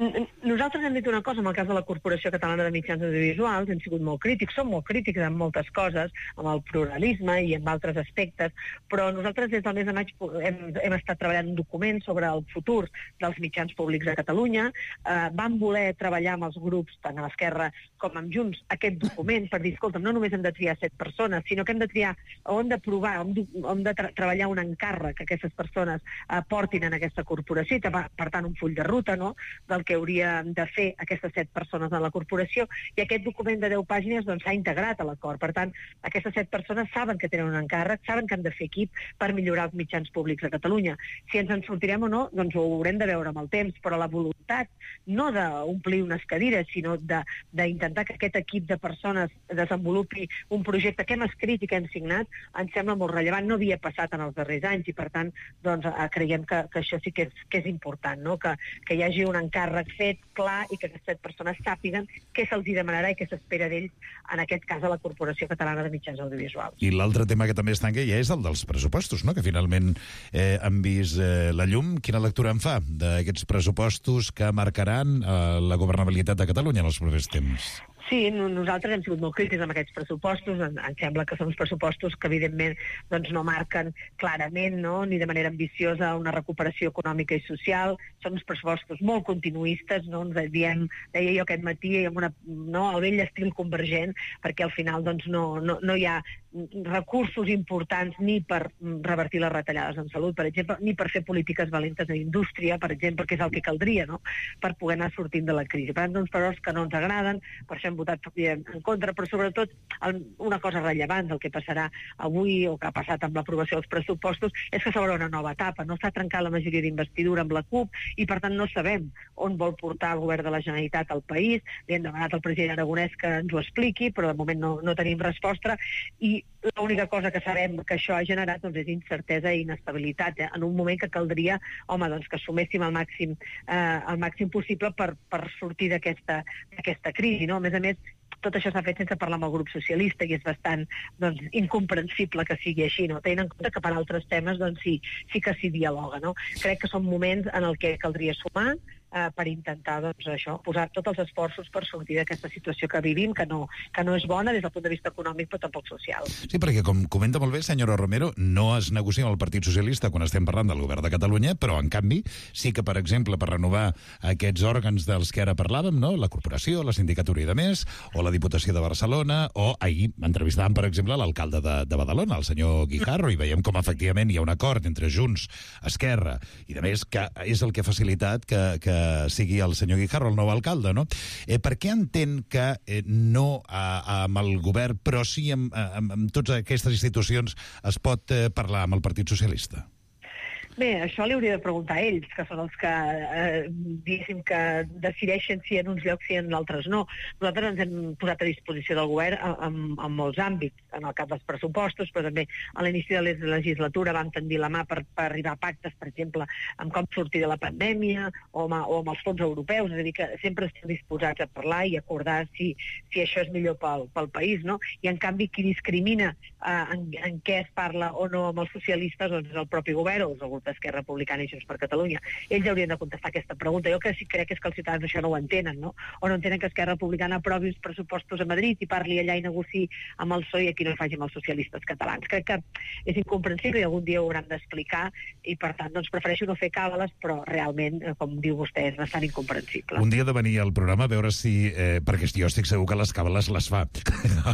Nosaltres hem dit una cosa, en el cas de la Corporació Catalana de Mitjans Audiovisuals, hem sigut molt crítics, som molt crítics en moltes coses, amb el pluralisme i en altres aspectes, però nosaltres des del mes de maig hem estat treballant un document sobre el futur dels mitjans públics a Catalunya. Vam voler treballar amb els grups, tant a l'Esquerra com amb Junts, aquest document per dir, escolta'm, no només hem de triar 7 persones, sinó que hem de triar, o hem de provar, hem de treballar un encàrrec que aquestes persones portin en aquesta corporació, i per tant un full de ruta, no?, del que haurien de fer aquestes 7 persones a la corporació, i aquest document de 10 pàgines doncs, s'ha integrat a l'acord. Per tant, aquestes 7 persones saben que tenen un encàrrec, saben que han de fer equip per millorar els mitjans públics a Catalunya. Si ens en sortirem o no, doncs ho haurem de veure amb el temps, però la voluntat no d'omplir unes cadires, sinó d'intentar que aquest equip de persones desenvolupi un projecte que hem escrit i que hem signat, ens sembla molt rellevant. No havia passat en els darrers anys i, per tant, doncs, creiem que això sí que és important, no? Que hi hagi un encàrrec fet, clar, i que aquestes persones sàpiguen què se'ls demanarà i què s'espera d'ells, en aquest cas a la Corporació Catalana de Mitjans Audiovisuals. I l'altre tema que també es tanca ja és el dels pressupostos, no?, que finalment han vist la llum. Quina lectura en fa d'aquests pressupostos que marcaran la governabilitat de Catalunya en els propers temps? Sí, nosaltres hem sigut molt crítics amb aquests pressupostos. Ens sembla que són uns pressupostos que, evidentment, doncs, no marquen clarament, no?, ni de manera ambiciosa una recuperació econòmica i social. Són uns pressupostos molt continuistes, no?, ens deia jo aquest matí, amb al vell estil convergent, perquè al final doncs, no hi ha recursos importants ni per revertir les retallades en salut, per exemple, ni per fer polítiques valentes en indústria, per exemple, que és el que caldria, no?, per poder anar sortint de la crisi. Per tant, uns valors que no ens agraden, per això hem votat en contra, però sobretot una cosa rellevant del que passarà avui o que ha passat amb l'aprovació dels pressupostos és que s'obre una nova etapa. No s'ha trencat la majoria d'investidura amb la CUP i, per tant, no sabem on vol portar el govern de la Generalitat al país. Li hem demanat al president Aragonès que ens ho expliqui, però de moment no tenim resposta, i l'única cosa que sabem que això ha generat doncs, és incertesa i inestabilitat, en un moment que caldria, home, doncs, que suméssim el màxim possible per sortir d'aquesta crisi, no? A més, tot això s'ha fet sense parlar amb el grup socialista i és bastant incomprensible que sigui així, no? Tenint en compte que per altres temes sí que s'hi dialoga, no? Crec que són moments en el que caldria sumar per intentar posar tots els esforços per sortir d'aquesta situació que vivim, que no és bona des del punt de vista econòmic, però tampoc social. Sí, perquè, com comenta molt bé, senyora Romero, no es negocia amb el Partit Socialista quan estem parlant del govern de Catalunya, però, en canvi, sí que, per exemple, per renovar aquests òrgans dels que ara parlàvem, no?, la corporació, la sindicatura i de més, o la Diputació de Barcelona, o ahir entrevistàvem, per exemple, l'alcalde de Badalona, el senyor Guijarro, i veiem com, efectivament, hi ha un acord entre Junts, Esquerra i de més, que és el que ha facilitat que sigui el senyor Guijarro el nou alcalde, no? Per què entén que no amb el govern, però sí amb totes aquestes institucions es pot parlar amb el Partit Socialista? Bé, això li hauria de preguntar a ells, que són els que, diguéssim, que decideixen si en uns llocs sí, en altres no. Nosaltres ens hem posat a disposició del govern en molts àmbits, en el cap dels pressupostos, però també a l'inici de la legislatura vam tendir la mà per arribar a pactes, per exemple, amb com sortir de la pandèmia o amb els fons europeus, és a dir, que sempre estem disposats a parlar i acordar si això és millor pel país, no? I, en canvi, qui discrimina en què es parla o no amb els socialistes doncs és el propi govern o és el grup d'Esquerra Republicana i Junts per Catalunya. Ells haurien de contestar aquesta pregunta. Jo que sí crec és que els ciutadans això no ho entenen, no? O no entenen que Esquerra Republicana aprovi els pressupostos a Madrid i parli allà i negociï amb el PSOE i aquí no ho faci amb els socialistes catalans. Crec que és incomprensible i algun dia ho hauran d'explicar i, per tant, doncs prefereixo no fer càbales, però realment, com diu vostè, és bastant incomprensible. Un dia de venir al programa a veure si... perquè jo estic segur que les càbales les fa.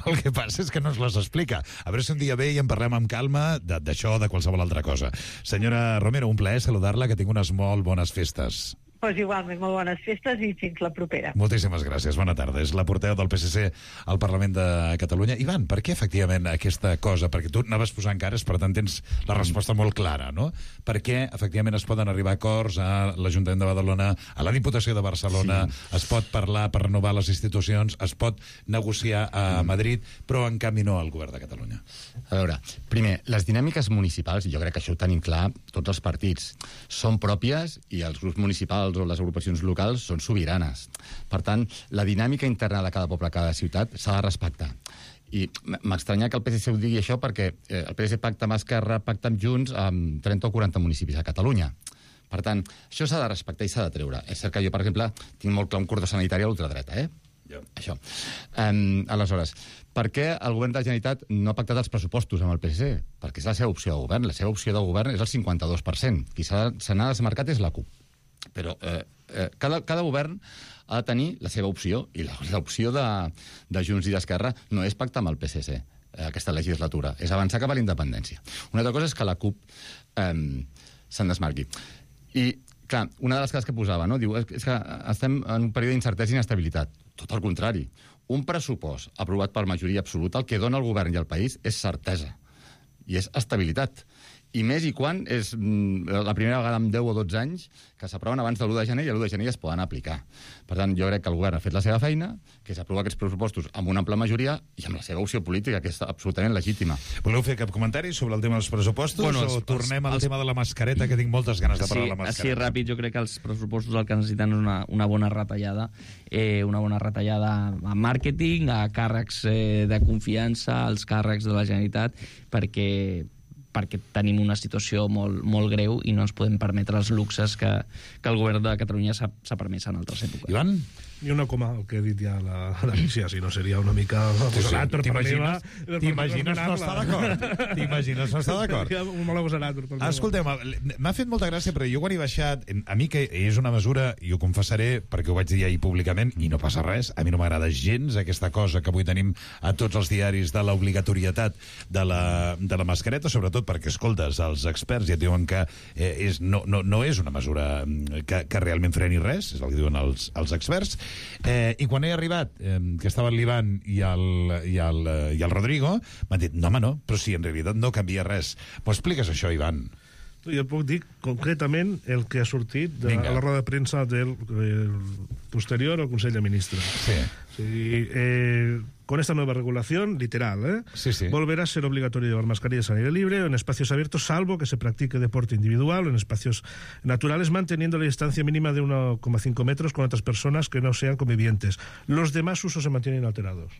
El que passa és que no ens les explica. A veure si un dia ve i en parlem amb calma d'això o de qualsevol altra cosa. Senyora Romero, un plaer saludar-la, que tinc unes molt bones festes. Pues igualment, molt bones festes i fins la propera. Moltíssimes gràcies, bona tarda. És la portaveu del PSC al Parlament de Catalunya. Ivan, per què efectivament aquesta cosa? Perquè tu anaves posant cares, per tant tens la resposta molt clara, no? Per què efectivament es poden arribar a acords a l'Ajuntament de Badalona, a la Diputació de Barcelona, es pot parlar per renovar les institucions, es pot negociar a Madrid, però en canvi no al govern de Catalunya? A veure, primer, les dinàmiques municipals, i jo crec que això ho tenim clar tots els partits, són pròpies i els grups municipals o les agrupacions locals són sobiranes. Per tant, la dinàmica interna de cada poble, cada ciutat, s'ha de respectar. I m'estranya que el PSC ho digui això perquè el PSC pacta amb Esquerra, pacta amb Junts amb 30 o 40 municipis a Catalunya. Per tant, això s'ha de respectar i s'ha de treure. És cert que jo, per exemple, tinc molt clar un cordó sanitari a l'ultradreta, Això. Aleshores, per què el govern de la Generalitat no ha pactat els pressupostos amb el PSC? Perquè és la seva opció de govern. La seva opció de govern és el 52%. Qui se n'ha desmarcat és la CUP. Però cada govern ha de tenir la seva opció, i l'opció de Junts i d'Esquerra no és pactar amb el PSC aquesta legislatura, és avançar cap a la independència. Una altra cosa és que la CUP se'n desmarqui. I, clar, una de les coses que posava, no? Diu, és que estem en un període d'incertesa i inestabilitat. Tot el contrari. Un pressupost aprovat per majoria absoluta, el que dona al govern i al país és certesa i és estabilitat. I més i quan és la primera vegada en 10 o 12 anys que s'aproven abans de l'1 de gener i l'1 de gener es poden aplicar. Per tant, jo crec que el govern ha fet la seva feina, que s'aprova aquests pressupostos amb una ampla majoria i amb la seva opció política, que és absolutament legítima. Voleu fer cap comentari sobre el tema dels pressupostos o tornem al tema de la mascareta, que tinc moltes ganes de parlar de la mascareta? Sí, ràpid, jo crec que els pressupostos el que necessiten és una bona retallada, a màrqueting, a càrrecs de confiança, als càrrecs de la Generalitat, perquè tenim una situació molt greu i no ens podem permetre els luxes que el govern de Catalunya s'ha permès en altres èpoques. Ivan? Ni una coma, el que he dit ja l'Alícia, si no seria una mica agosarat per part meva. T'imagines no estar d'acord? T'imagines no estar d'acord? Seria molt agosarat per part meva. Escolteu, m'ha fet molta gràcia, però jo quan he baixat, a mi que és una mesura, i ho confessaré, perquè ho vaig dir ahir públicament, i no passa res, a mi no m'agrada gens aquesta cosa que avui tenim a tots els diaris de l'obligatorietat de la mascareta, sobretot perquè, escoltes, els experts ja et diuen que no és una mesura que realment freni res, és el que diuen els experts. I quan he arribat, que estava l'Ivan i el Rodrigo, m'han dit, no, home, no, però si en realitat no canvia res. M'ho expliques, això, Ivan? Jo puc dir concretament el que ha sortit a la roda de premsa del posterior al Consell de Ministres. Con esta nueva regulación, literal, volverá a ser obligatorio llevar mascarillas al aire libre o en espacios abiertos, salvo que se practique deporte individual o en espacios naturales, manteniendo la distancia mínima de 1,5 metros con otras personas que no sean convivientes. Los demás usos se mantienen alterados.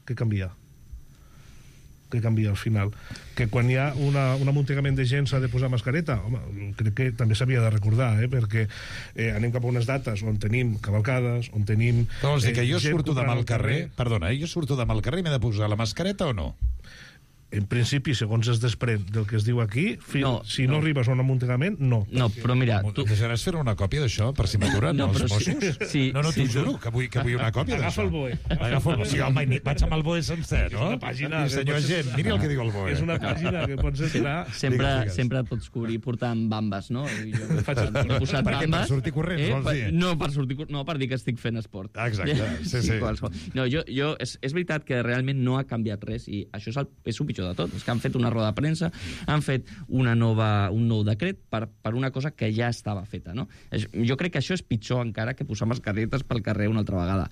¿Qué cambia? Que canvia al final? Que quan hi ha un amuntegament de gent s'ha de posar mascareta? Home, crec que també s'havia de recordar, perquè anem cap a unes dates on tenim cavalcades, on tenim... Però vols dir que jo surto demà al carrer... Perdona, jo surto demà al carrer i m'he de posar la mascareta o no? En principi, segons es desprèn del que es diu aquí, si no arribes a un amuntegament, no. No, però mira... Deixaràs fer una còpia d'això per si m'aturen els Mossos? No, t'ho juro, que vull una còpia d'això. Agafa el BOE. Agafa el BOE. Sí, home, vaig amb el BOE sencer, no? És una pàgina... Senyor agent, miri el que diu el BOE. És una pàgina que pots entrar... Sempre et pots cobrir portant bambes, no? Jo he posat bambes... Per sortir corrents, vols dir? No, per dir que estic fent esport. Exacte, sí. No, és veritat que realment no ha canviat res i això és el pitjor de tot, és que han fet una roda de premsa, han fet un nou decret per una cosa que ja estava feta, no? Jo crec que això és pitjor encara que posar mascaretes pel carrer una altra vegada.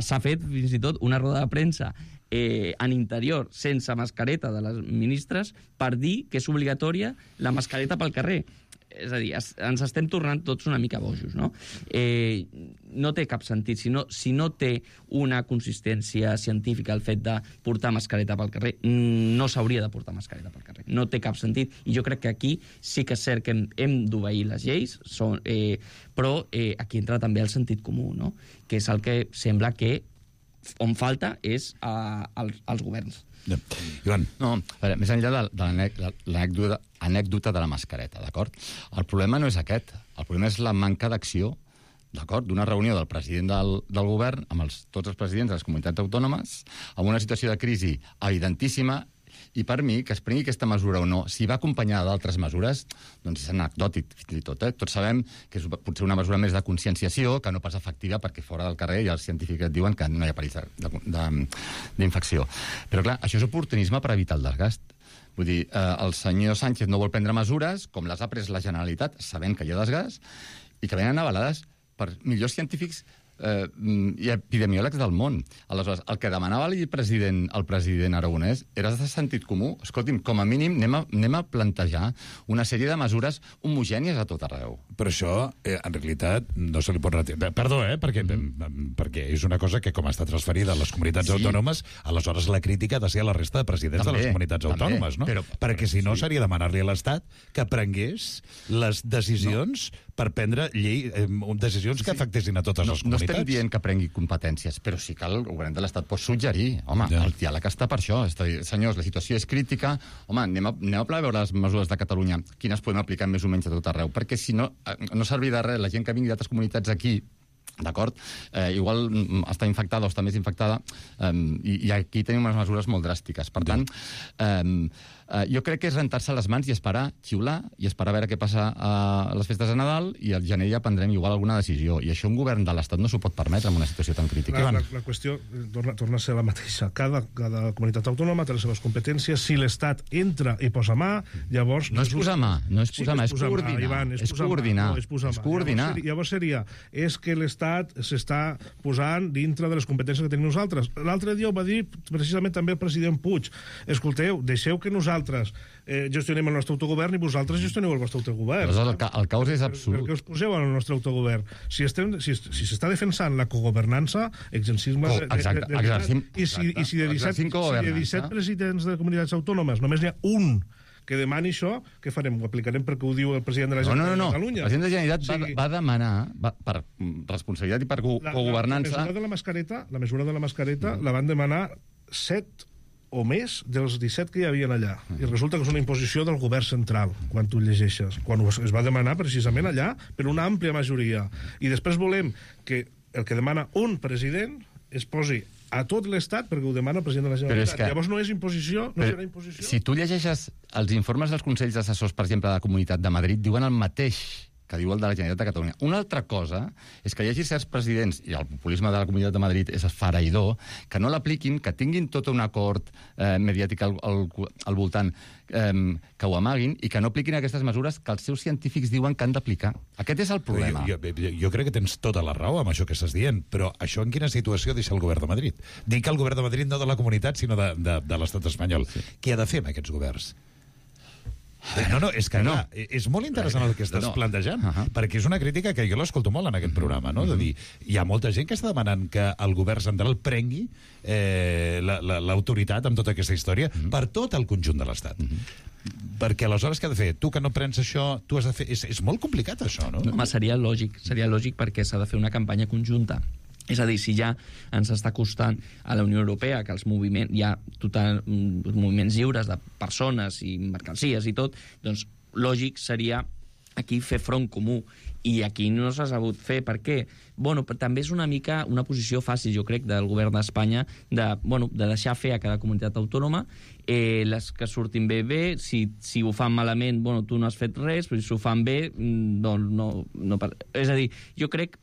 S'ha fet fins i tot una roda de premsa en interior sense mascareta de les ministres per dir que és obligatòria la mascareta pel carrer. És a dir, ens estem tornant tots una mica bojos, no? No té cap sentit. Si no té una consistència científica el fet de portar mascareta pel carrer, no s'hauria de portar mascareta pel carrer. No té cap sentit. I jo crec que aquí sí que és cert que hem d'obeir les lleis, però aquí entra també el sentit comú, no? Que és el que sembla que on falta és als governs. Joan. No, a veure, més enllà de l'anècdota de la mascareta, d'acord? El problema no és aquest. El problema és la manca d'acció, d'acord, d'una reunió del president del govern amb tots els presidents de les comunitats autònomes, amb una situació de crisi evidentíssima, i per mi, que es prengui aquesta mesura o no, si va acompanyada d'altres mesures, doncs és anecdòtic, fins i tot. Tots sabem que és potser una mesura més de conscienciació, que no pas efectiva, perquè fora del carrer ja els científics et diuen que no hi ha perill d'infecció. Però clar, això és oportunisme per evitar el desgast. Vull dir, el senyor Sánchez no vol prendre mesures, com les ha pres la Generalitat, sabent que hi ha desgast, i que venen avalades per millors científics i epidemiòlegs del món. Aleshores, el que demanava el president Aragonès era de sentit comú. Escolti'm, com a mínim anem a plantejar una sèrie de mesures homogènies a tot arreu. Però això, en realitat, no se li pot retirar. Perdó, perquè és una cosa que, com està transferida a les comunitats autònomes, aleshores la crítica ha de ser a la resta de presidents de les comunitats autònomes, no? Perquè si no, seria demanar-li a l'Estat que prengués les decisions per prendre decisions que afectessin a totes les comunitats. No estem dient que prengui competències, però sí que el govern de l'Estat pot suggerir. Home, el diàleg està per això. És a dir, senyors, la situació és crítica. Home, anem a veure les mesures de Catalunya, quines podem aplicar més o menys a tot arreu, perquè si no, no servirà de res la gent que vingui d'altres comunitats aquí, d'acord? Igual està infectada o està més infectada, i aquí tenim unes mesures molt dràstiques. Per tant, jo crec que és rentar-se les mans i esperar, xiular, i esperar a veure què passa a les festes de Nadal, i al gener ja prendrem igual alguna decisió. I això un govern de l'Estat no s'ho pot permetre en una situació tan crítica. La qüestió torna a ser la mateixa. Cada comunitat autònoma té les seves competències. Si l'Estat entra i posa mà, llavors... No és posar mà, és coordinar. Llavors seria, és que l'Estat s'està posant dintre de les competències que tenim nosaltres. L'altre dia ho va dir precisament també el president Puig. Escolteu, deixeu que nosaltres gestionem el nostre autogovern i vosaltres gestioneu el vostre autogovern. El caos és absolut. Per què us poseu en el nostre autogovern? Si s'està defensant la cogovernança, exercim i si de 17 presidents de comunitats autònomes només n'hi ha un que demani això, què farem? Ho aplicarem perquè ho diu el president de la Generalitat de Catalunya? El president de la Generalitat va demanar, per responsabilitat i per cogovernança... La mesura de la mascareta la van demanar 7 o més dels 17 que hi havia allà. I resulta que és una imposició del govern central, quan tu llegeixes. Quan es va demanar precisament allà per una àmplia majoria. I després volem que el que demana un president es posi a tot l'Estat perquè ho demana el president de la Generalitat. Llavors no és imposició, no serà imposició. Si tu llegeixes els informes dels Consells Assessors, per exemple, de la Comunitat de Madrid, diuen el mateix que diu el de la Generalitat de Catalunya. Una altra cosa és que hi hagi certs presidents, i el populisme de la Comunitat de Madrid és esfereïdor, que no l'apliquin, que tinguin tot un acord mediàtic al voltant, que ho amaguin, i que no apliquin aquestes mesures que els seus científics diuen que han d'aplicar. Aquest és el problema. Jo crec que tens tota la raó amb això que estàs dient, però això en quina situació deixa el govern de Madrid? Dic que el govern de Madrid no de la comunitat, sinó de l'estat espanyol. Què ha de fer amb aquests governs? No, és que clar, és molt interessant el que estàs plantejant, perquè és una crítica que jo l'escolto molt en aquest programa, no? De dir, hi ha molta gent que està demanant que el govern central prengui l'autoritat amb tota aquesta història per tot el conjunt de l'Estat. Perquè aleshores què ha de fer? Tu que no prens això, tu has de fer... És molt complicat això, no? Home, seria lògic perquè s'ha de fer una campanya conjunta. És a dir, si ja ens està costant a la Unió Europea que els moviments, hi ha moviments lliures de persones i mercancies i tot, doncs lògic seria aquí fer front comú. I aquí no s'ha sabut fer. Per què? Bueno, també és una mica una posició fàcil, jo crec, del govern d'Espanya de deixar fer a cada comunitat autònoma les que surtin bé, si ho fan malament, bueno, tu no has fet res, però si ho fan bé, doncs no... És a dir, jo crec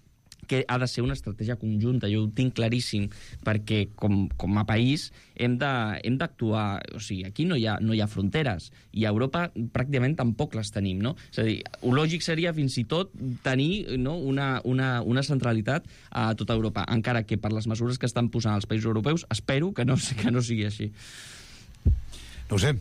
que ha de ser una estratègia conjunta, jo ho tinc claríssim, perquè com a país hem d'actuar, o sigui, aquí no hi ha fronteres, i a Europa pràcticament tampoc les tenim, no? És a dir, el lògic seria fins i tot tenir una centralitat a tota Europa, encara que per les mesures que estan posant els països europeus espero que no sigui així. No ho sé,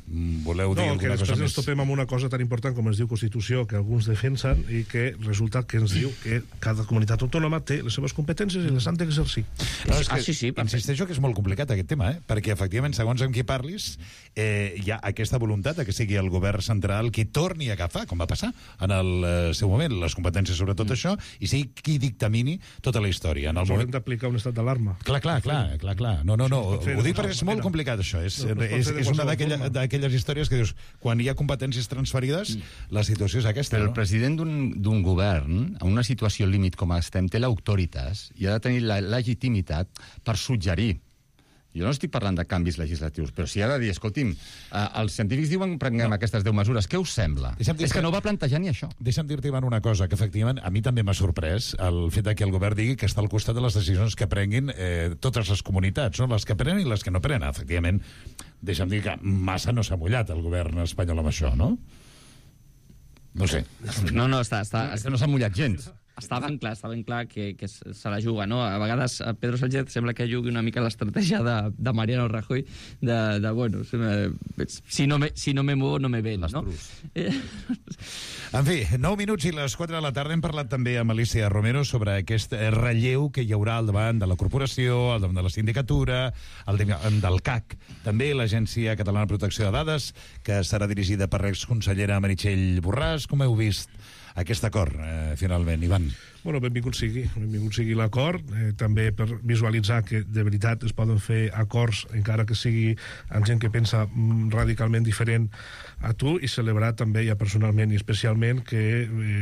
voleu dir alguna cosa més? Després ens topem amb una cosa tan important com es diu Constitució, que alguns defensen, i que resulta que ens diu que cada comunitat autònoma té les seves competències i les han d'exercir. Sí, insisteixo que és molt complicat aquest tema, perquè efectivament, segons amb qui parlis, hi ha aquesta voluntat que sigui el govern central qui torni a agafar, com va passar en el seu moment, les competències sobre tot això, i sigui qui dictamini tota la història. Haurem d'aplicar un estat d'alarma. Clar. No, ho dic perquè és molt complicat, això. És una d'aquelles històries que dius, quan hi ha competències transferides, la situació és aquesta. Però el president d'un govern, en una situació límit com estem, té l'autoritas i ha de tenir la legitimitat per suggerir. Jo no estic parlant de canvis legislatius, però si ha de dir, escolti'm, els científics diuen que prenguem aquestes 10 mesures, què us sembla? És que no va plantejar ni això. Deixa'm dir-te, Ivan, una cosa, que efectivament a mi també m'ha sorprès el fet que el govern digui que està al costat de les decisions que prenguin totes les comunitats, no? Les que prenen i les que no prenen. Efectivament, deixa'm dir que massa no s'ha mullat el govern espanyol amb això, no? No sé. No, no s'ha mullat gens. Està ben clar que se la juga, no? A vegades Pedro Sánchez sembla que jugui una mica l'estratègia de Mariano Rajoy bueno, si no me muevo no me ven, no? En fi, 9 minuts i les 4 de la tarda hem parlat també amb Alicia Romero sobre aquest relleu que hi haurà al davant de la corporació, al davant de la sindicatura, al davant del CAC, també l'Agència Catalana de Protecció de Dades, que serà dirigida per l'exconsellera Meritxell Borràs. Com heu vist aquest acord, finalment, Ivan? Bueno, benvingut sigui l'acord, també per visualitzar que de veritat es poden fer acords, encara que sigui amb gent que pensa radicalment diferent a tu, i celebrar també ja personalment i especialment que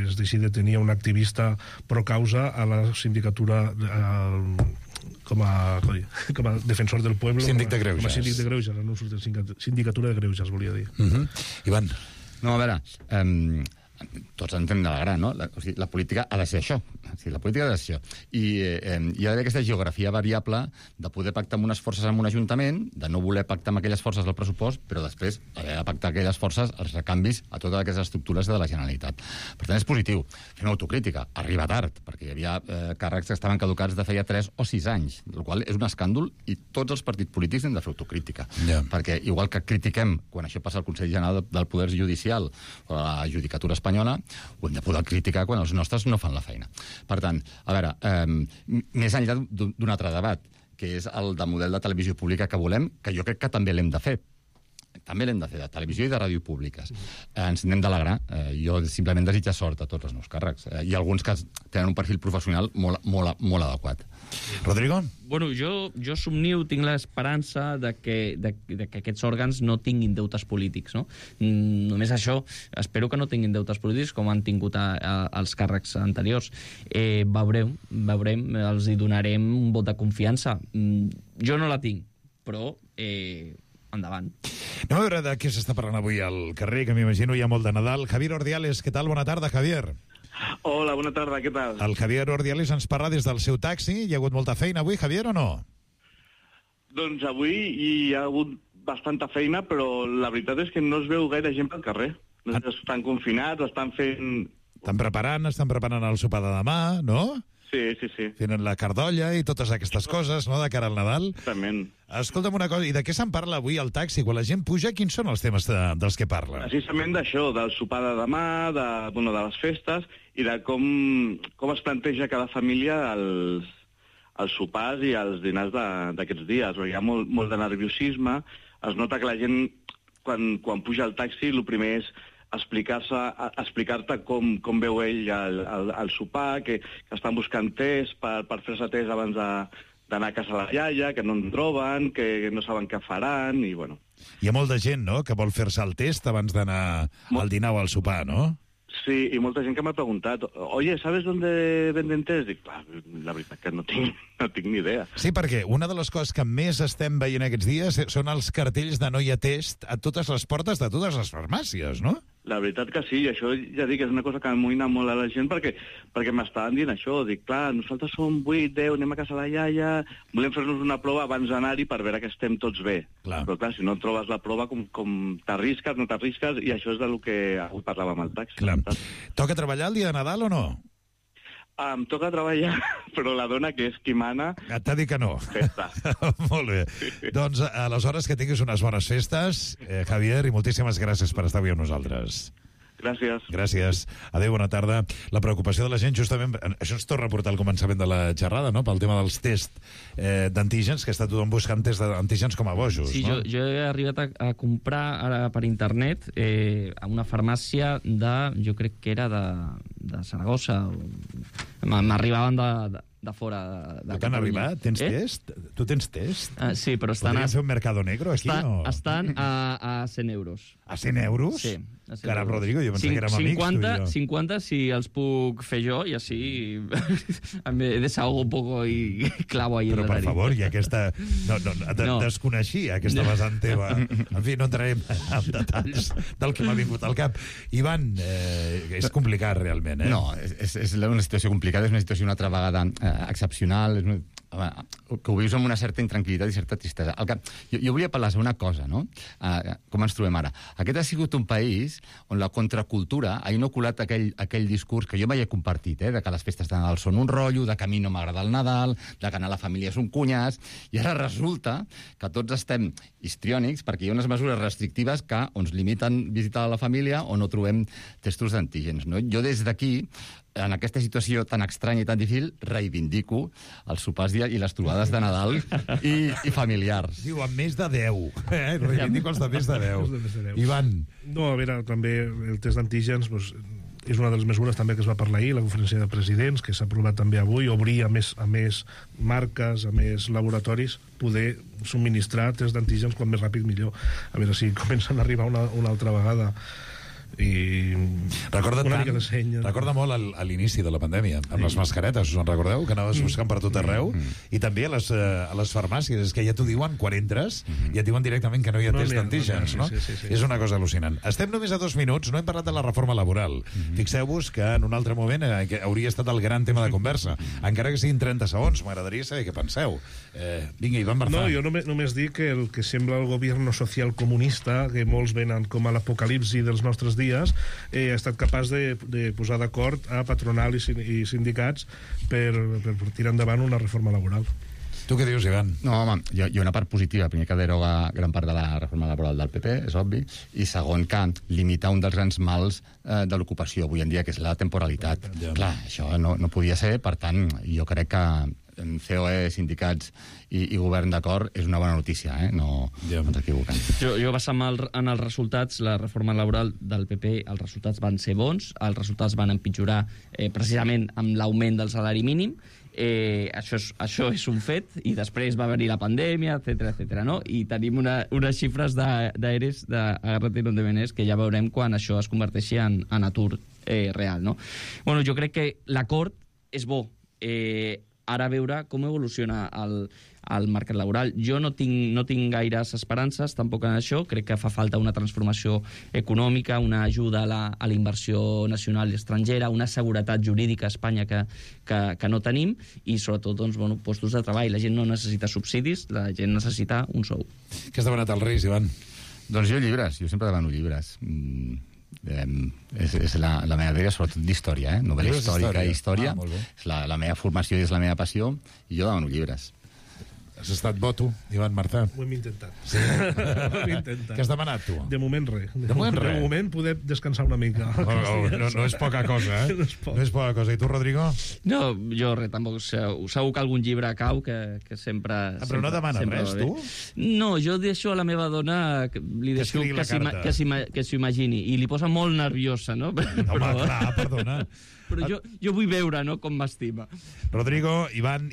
es deixi de tenir un activista pro causa a la sindicatura com a defensor del pueblo. Síndic de Greuges. Com a síndic de Greuges, no surt sindicatura de Greuges, volia dir. Ivan. No, a veure, tots ens hem d'alegrar, no? La política ha de ser això. La política ha de ser això. I hi ha d'haver aquesta geografia variable de poder pactar amb unes forces en un ajuntament, de no voler pactar amb aquelles forces del pressupost, però després haver de pactar aquelles forces, els recanvis a totes aquestes estructures de la Generalitat. Per tant, és positiu. Fem autocrítica. Arriba tard, perquè hi havia càrrecs que estaven caducats de feia 3 o 6 anys, el qual és un escàndol, i tots els partits polítics hem de fer autocrítica. Perquè igual que critiquem quan això passa al Consell General del Poder Judicial o a la Judicatura Espanyola, ho hem de poder criticar quan els nostres no fan la feina. Per tant, a veure, més enllà d'un altre debat, que és el de model de televisió pública que volem, que jo crec que també l'hem de fer, també l'hem de fer, de televisió i de ràdio públiques. Ens n'hem d'alegrar. Jo simplement desitjo sort a tots els meus càrrecs. I alguns que tenen un perfil professional molt adequat. Rodrigo? Bueno, jo somnio, tinc l'esperança de que aquests òrgans no tinguin deutes polítics, no? Només això, espero que no tinguin deutes polítics com han tingut els càrrecs anteriors. Veurem, els hi donarem un vot de confiança. Jo no la tinc, però endavant. Anem a veure de què s'està parlant avui al carrer, que m'imagino hi ha molt de Nadal. Javier Ordiales, què tal? Bona tarda, Javier. Hola, bona tarda, què tal? El Javier Ordiales ens parla des del seu taxi. Hi ha hagut molta feina avui, Javier, o no? Doncs avui hi ha hagut bastanta feina, però la veritat és que no es veu gaire gent pel carrer. Estan confinats, estan fent... Estan preparant el sopar de demà, no? Sí. Fent la cardolla i totes aquestes coses, no?, de cara al Nadal. Exactament. Escolta'm una cosa, i de què se'n parla avui al taxi? Quan la gent puja, quins són els temes dels que parla? Precisament d'això, del sopar de demà, de les festes, i de com es planteja cada família els sopars i els dinars d'aquests dies. Perquè hi ha molt de nerviosisme, es nota que la gent, quan puja al taxi, el primer és explicar-te com veu ell el sopar, que estan buscant test per fer-se test abans d'anar a casa la iaia, que no en troben, que no saben què faran, i bueno. Hi ha molta gent, no?, que vol fer-se el test abans d'anar al dinar o al sopar, no? Sí, i molta gent que m'ha preguntat, oye, ¿sabes dónde venden test? Dic, la veritat que no tinc ni idea. Sí, perquè una de les coses que més estem veient aquests dies són els cartells de no hi ha test a totes les portes de totes les farmàcies, no? La veritat que sí, i això ja dic, és una cosa que amoïna molt a la gent perquè m'estaven dient això. Dic, clar, nosaltres som 8, 10, anem a casa la iaia, volem fer-nos una prova abans d'anar-hi per veure que estem tots bé. Clar. Però clar, si no trobes la prova, com t'arrisques, no t'arrisques, i això és del que avui parlàvem al taxi. Clar. Toca treballar el dia de Nadal o no? Em toca treballar, però la dona, que és qui mana... T'ha dit que no. Festa. Molt bé. Doncs, aleshores, que tinguis unes bones festes, Javier, i moltíssimes gràcies per estar avui amb nosaltres. Gràcies. Gràcies. Adéu, bona tarda. La preocupació de la gent, justament, això ens torna a portar al començament de la xerrada, no?, pel tema dels tests d'antígens, que està tothom buscant tests d'antígens com a bojos. Sí, no? jo he arribat a comprar ara per internet a una farmàcia jo crec que era de Saragossa. M'arribaven de fora de T'han arribat? Tens test? Tu tens test? Sí, però estan... Podríem fer un mercado negro aquí, no? Estan a 100 euros. A 100 euros? Sí. Caram, Rodrigo, jo pensava que érem amics, tu i jo. 50 si els puc fer jo, i així me desahogo un poco i clavo ahí. Però, per favor, i aquesta... No. Desconeixia aquesta vessant teva. En fi, no entrarem en detalls del que m'ha vingut al cap. Ivan, és complicat, realment, eh? No, és una situació complicada, és una situació una altra vegada excepcional, que ho vius amb una certa intranquil·litat i certa tristesa. Jo volia parlar sobre una cosa, no? Com ens trobem ara. Aquest ha sigut un país on la contracultura ha inoculat aquell discurs que jo mai he compartit, de que les festes de Nadal són un rotllo, de que a mi no m'agrada el Nadal, de que anar a la família és un cunyàs, i ara resulta que tots estem histriònics perquè hi ha unes mesures restrictives que ens limiten visitar la família o no trobem testos d'antígens, no? Jo des d'aquí, en aquesta situació tan estranya i tan difícil, reivindico els sopars i les trobades de Nadal i familiars. Diu, amb més de 10. Reivindico els de més de 10. Ivan. No, a veure, també el test d'antígens és una de les mesures també que es va parlar ahir, la conferència de presidents, que s'ha aprovat també avui, obrir a més marques, a més laboratoris, poder subministrar test d'antígens quan més ràpid millor. A veure si comencen a arribar una altra vegada. I recorda molt a l'inici de la pandèmia amb les mascaretes, us en recordeu? Que anaves buscant per tot arreu, i també a les farmàcies, és que ja t'ho diuen quan entres, ja et diuen directament que no hi ha test d'antígens, no? És una cosa al·lucinant. Estem només a 2 minuts, no hem parlat de la reforma laboral. Fixeu-vos que en un altre moment hauria estat el gran tema de conversa, encara que siguin 30 segons, m'agradaria saber què penseu. Vinga, Ivan Barzà. No, jo només dic que el que sembla el govern social comunista, que molts venen com a l'apocalipsi dels nostres dies, ha estat capaç de posar d'acord a patronal i sindicats per tirar endavant una reforma laboral. Tu què dius, Ivan? No, home, hi ha una part positiva. Primer, que deroga gran part de la reforma laboral del PP, és obvi, i segon, que limitar un dels grans mals de l'ocupació avui en dia, que és la temporalitat. Clar, això no podia ser, per tant, jo crec que COE, sindicats i govern d'acord, és una bona notícia, no ens equivoquem. Jo basant en els resultats, la reforma laboral del PP, els resultats van ser bons, els resultats van empitjorar precisament amb l'augment del salari mínim. Això és un fet, i després va venir la pandèmia, etc., no? I tenim unes xifres d'ERES, d'Agárrate y no te menes, que ja veurem quan això es converteixi en atur real, no? Bueno, jo crec que l'acord és bo. Ara a veure com evoluciona el mercat laboral. Jo no tinc gaires esperances tampoc en això. Crec que fa falta una transformació econòmica, una ajuda a la inversió nacional i estrangera, una seguretat jurídica a Espanya que no tenim, i sobretot postos de treball. La gent no necessita subsidis, la gent necessita un sou. Què has demanat als Reis, Ivan? Doncs jo llibres, jo sempre demano llibres. És la meva idea, sobretot d'història, novel·la històrica i història. És la meva formació i és la meva passió, i jo demano llibres. Has estat bo, tu, Ivan Martà? Ho hem intentat. Sí? Ho hem intentat. Què has demanat, tu? De moment, res. De moment poder descansar una mica. No és poca cosa, No és poca cosa. I tu, Rodrigo? No, jo res, tampoc. Segur que algun llibre cau, que sempre... Però no demanes res, tu? No, jo deixo a la meva dona, li deixo que s'ho imagini, i li posa molt nerviosa, no? Home, clar, perdona. Però jo vull veure, no?, com m'estima. Rodrigo, Ivan,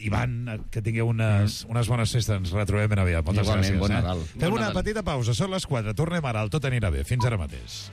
que tingueu unes bones festes. Ens retrobem ben aviat. Moltes gràcies. Bon Nadal. Fem una petita pausa. Són les 4. Tornem ara al Tot anirà bé. Fins ara mateix.